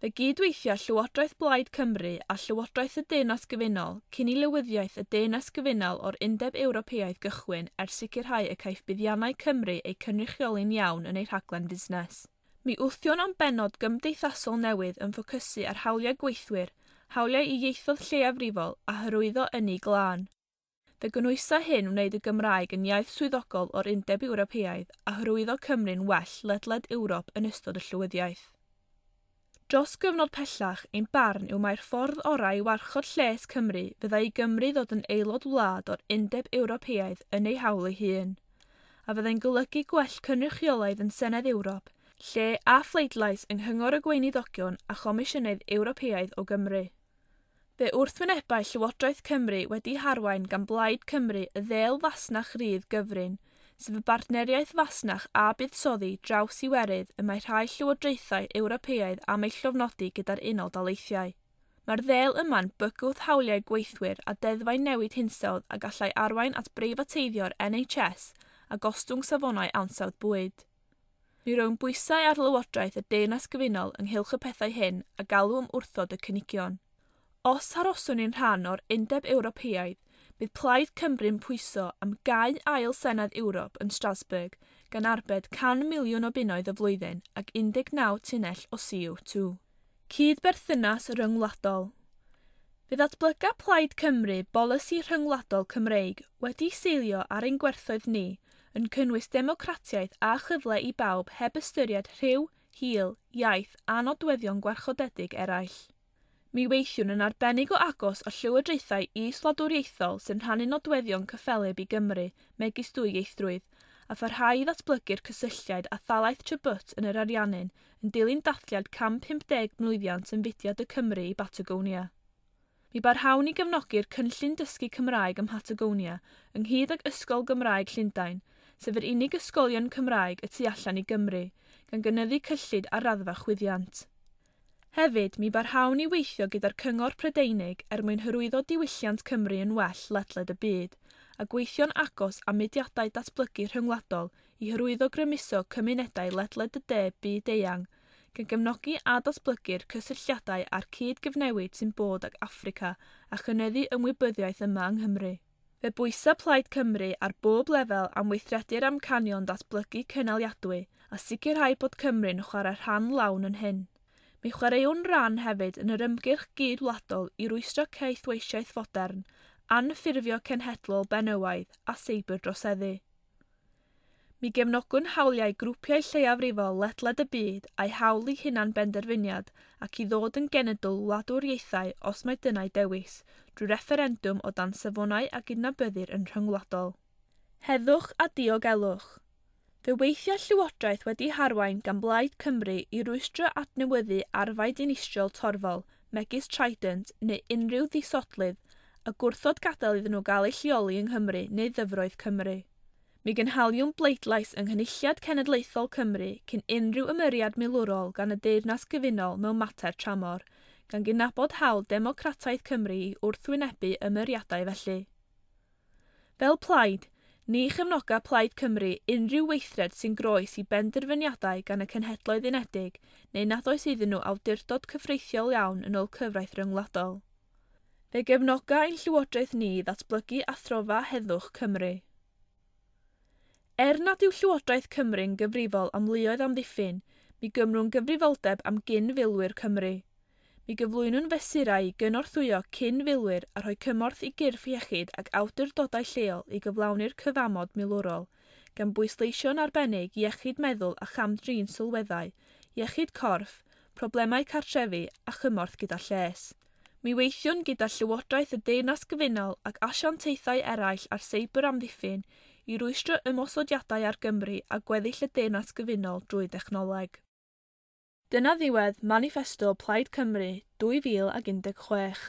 Fe gydweithia Llywodraeth Blaid Cymru a Llywodraeth y Deyrnas Gyfunol cyn i lywyddiaeth y Deyrnas Gyfunol o'r Undeb Ewropeaidd gychwyn er sicrhau y caiff buddiannau Cymru eu cynrychioli'n iawn yn ei rhaglen fusnes. Mi wthion am bennod gymdeithasol newydd yn ffocysu ar hawliau gweithwyr, hawliau i ieithoedd lleiafrifol a hyrwyddo ynni glân. Fe gynwysa hyn wneud y Gymraeg yn iaith swyddogol o'r Undeb Ewropeaidd a hyrwyddo Cymru'n well ledled Ewrop yn ystod y llywyddiaeth. Dros gyfnod pellach, ein barn yw mai'r ffordd orau i warchod lles Cymru fyddai i Gymru ddod yn aelod wlad o'r Undeb Ewropeaidd yn ei hawl ei hun, a fyddai'n golygu gwell cynrychiolaidd yn Senedd Ewrop, lle a phleidlais yng Nghyngor y Gweinidogion a Chomisiynydd Ewropeaidd o Gymru. Fe wrthwynebau Llywodraeth Cymru wedi harwain gan Blaid Cymru y ddêl fasnach rydd gyfrin, sef y bartneriaeth fasnach a buddsoddi draws Iwerydd y mae rhai llywodraethau Ewropeaidd am ei llofnodi gyda'r Unol Daleithiau. Mae'r ddêl yma'n bygwth hawliau gweithwyr a deddfau newid hinsawdd a gallai arwain at breifateiddio'r NHS a gostwng safonau ansawdd bwyd. Mi rown bwysau ar Lywodraeth y Deyrnas Gyfunol ynghylch y pethau hyn a galw am wrthod y cynigion. Os aroswn ni'n rhan o'r Undeb Ewropeaidd, bydd Plaid Cymru'n pwyso am gau ail Senedd Ewrop yn Strasbourg gan arbed 100 miliwn o bunnoedd y flwyddyn ac 19 tunnell o CO2. Cydberthynas ryngwladol. Fe ddatblyga Plaid Cymru bolisi rhyngwladol Cymreig wedi seilio ar ein gwerthoedd ni yn cynnwys democratiaeth a chyfle i bawb heb ystyried rhyw, hil, iaith a nodweddion gwarchodedig eraill. Mi weithiwn yn arbennig o agos â llywodraethau is-wladwriaethol sy'n rhannu nodweddion cyffelyb i Gymru, megis dwyieithrwydd, a pharhau i ddatblygu'r cysylltiad a thalaith Chubut yn yr Ariannin yn dilyn dathliad 150 mlwyddiant yn fudiad y Cymru i Batagonia. Mi barhawn i gefnogi'r cynllun dysgu Cymraeg ym Mhatagonia, ynghyd ag Ysgol Gymraeg Llundain, sef yr unig ysgolion Cymraeg y tu allan i Gymru, gan gynyddu cyllid ar raddfa chwyddiant. Hefyd, mi barhawn i weithio gyda'r Cyngor Prydeinig er mwyn hyrwyddo diwylliant Cymru yn well ledled y byd, a gweithio'n agos â mudiadau datblygu rhyngwladol i hyrwyddo grymuso cymunedau ledled y de byd eang, gan gefnogi a datblygu'r cysylltiadau a'r cyd-gyfnewid sy'n bod ag Affrica a chynyddu ymwybyddiaeth yma yng Nghymru. Fe bwysa Plaid Cymru ar bob lefel am weithredu'r amcanion datblygu cynaliadwy a sicrhau bod Cymru'n chwarae rhan lawn yn hyn. Mi chwaraewn ran hefyd yn yr ymgyrch gyd-wladol i rwystro caethweisiaeth fodern, anffurfio cenhedlol benywaidd a seiberdroseddu. Mi gefnogwn hawliau grwpiau lleiafrifol ledled y byd a'i hawl i hunan benderfyniad ac i ddod yn genedl wladwriaethau os mae dyna'i dewis, drwy refferendwm o dan safonau a gydnabyddir yn rhyngwladol. Heddwch a diogelwch. Fe weithia Llywodraeth wedi harwain gan Blaid Cymru i rwystro adnewyddu arfau dinistriol torfol, megis Trident neu unrhyw ddisodlydd, a gwrthod gadael iddyn nhw gael eu lleoli yng Nghymru neu ddyfroedd Cymru. Mi gynhaliwn bleidlais yng Nghynulliad Cenedlaethol Cymru cyn unrhyw ymyriad milwrol gan y Deyrnas Gyfunol mewn mater tramor, gan gydnabod hawl democrataidd Cymru i wrthwynebu ymyriadau felly. Fel plaid, ni chefnoga Plaid Cymru unrhyw weithred sy'n groes i benderfyniadau gan y Cenhedloedd Unedig neu nad oes iddyn nhw awdurdod cyfreithiol iawn yn ôl cyfraith ryngwladol. Fe gefnoga ein llywodraeth ni ddatblygu Athrofa Heddwch Cymru. Er nad yw Llywodraeth Cymru'n gyfrifol am luoedd amddiffyn, mi gymrwn gyfrifoldeb am gyn-filwyr Cymru. Mi gyflwynwn fesurau i gynorthwyo cyn-filwyr a rhoi cymorth i gyrff iechyd ac awdurdodau lleol i gyflawni'r cyfamod milwrol, gan bwysleisio'n arbennig iechyd meddwl a cham-drin sylweddau, iechyd corff, problemau cartrefi a chymorth gyda lles. Mi weithiwn gyda Llywodraeth y Deyrnas Gyfunol ac asiantaethau eraill ar seibr amddiffyn i rwystro ymosodiadau ar Gymru a gweddill y Deyrnas Gyfunol drwy dechnoleg. Dyna ddiwedd Maniffesto Plaid Cymru 2016.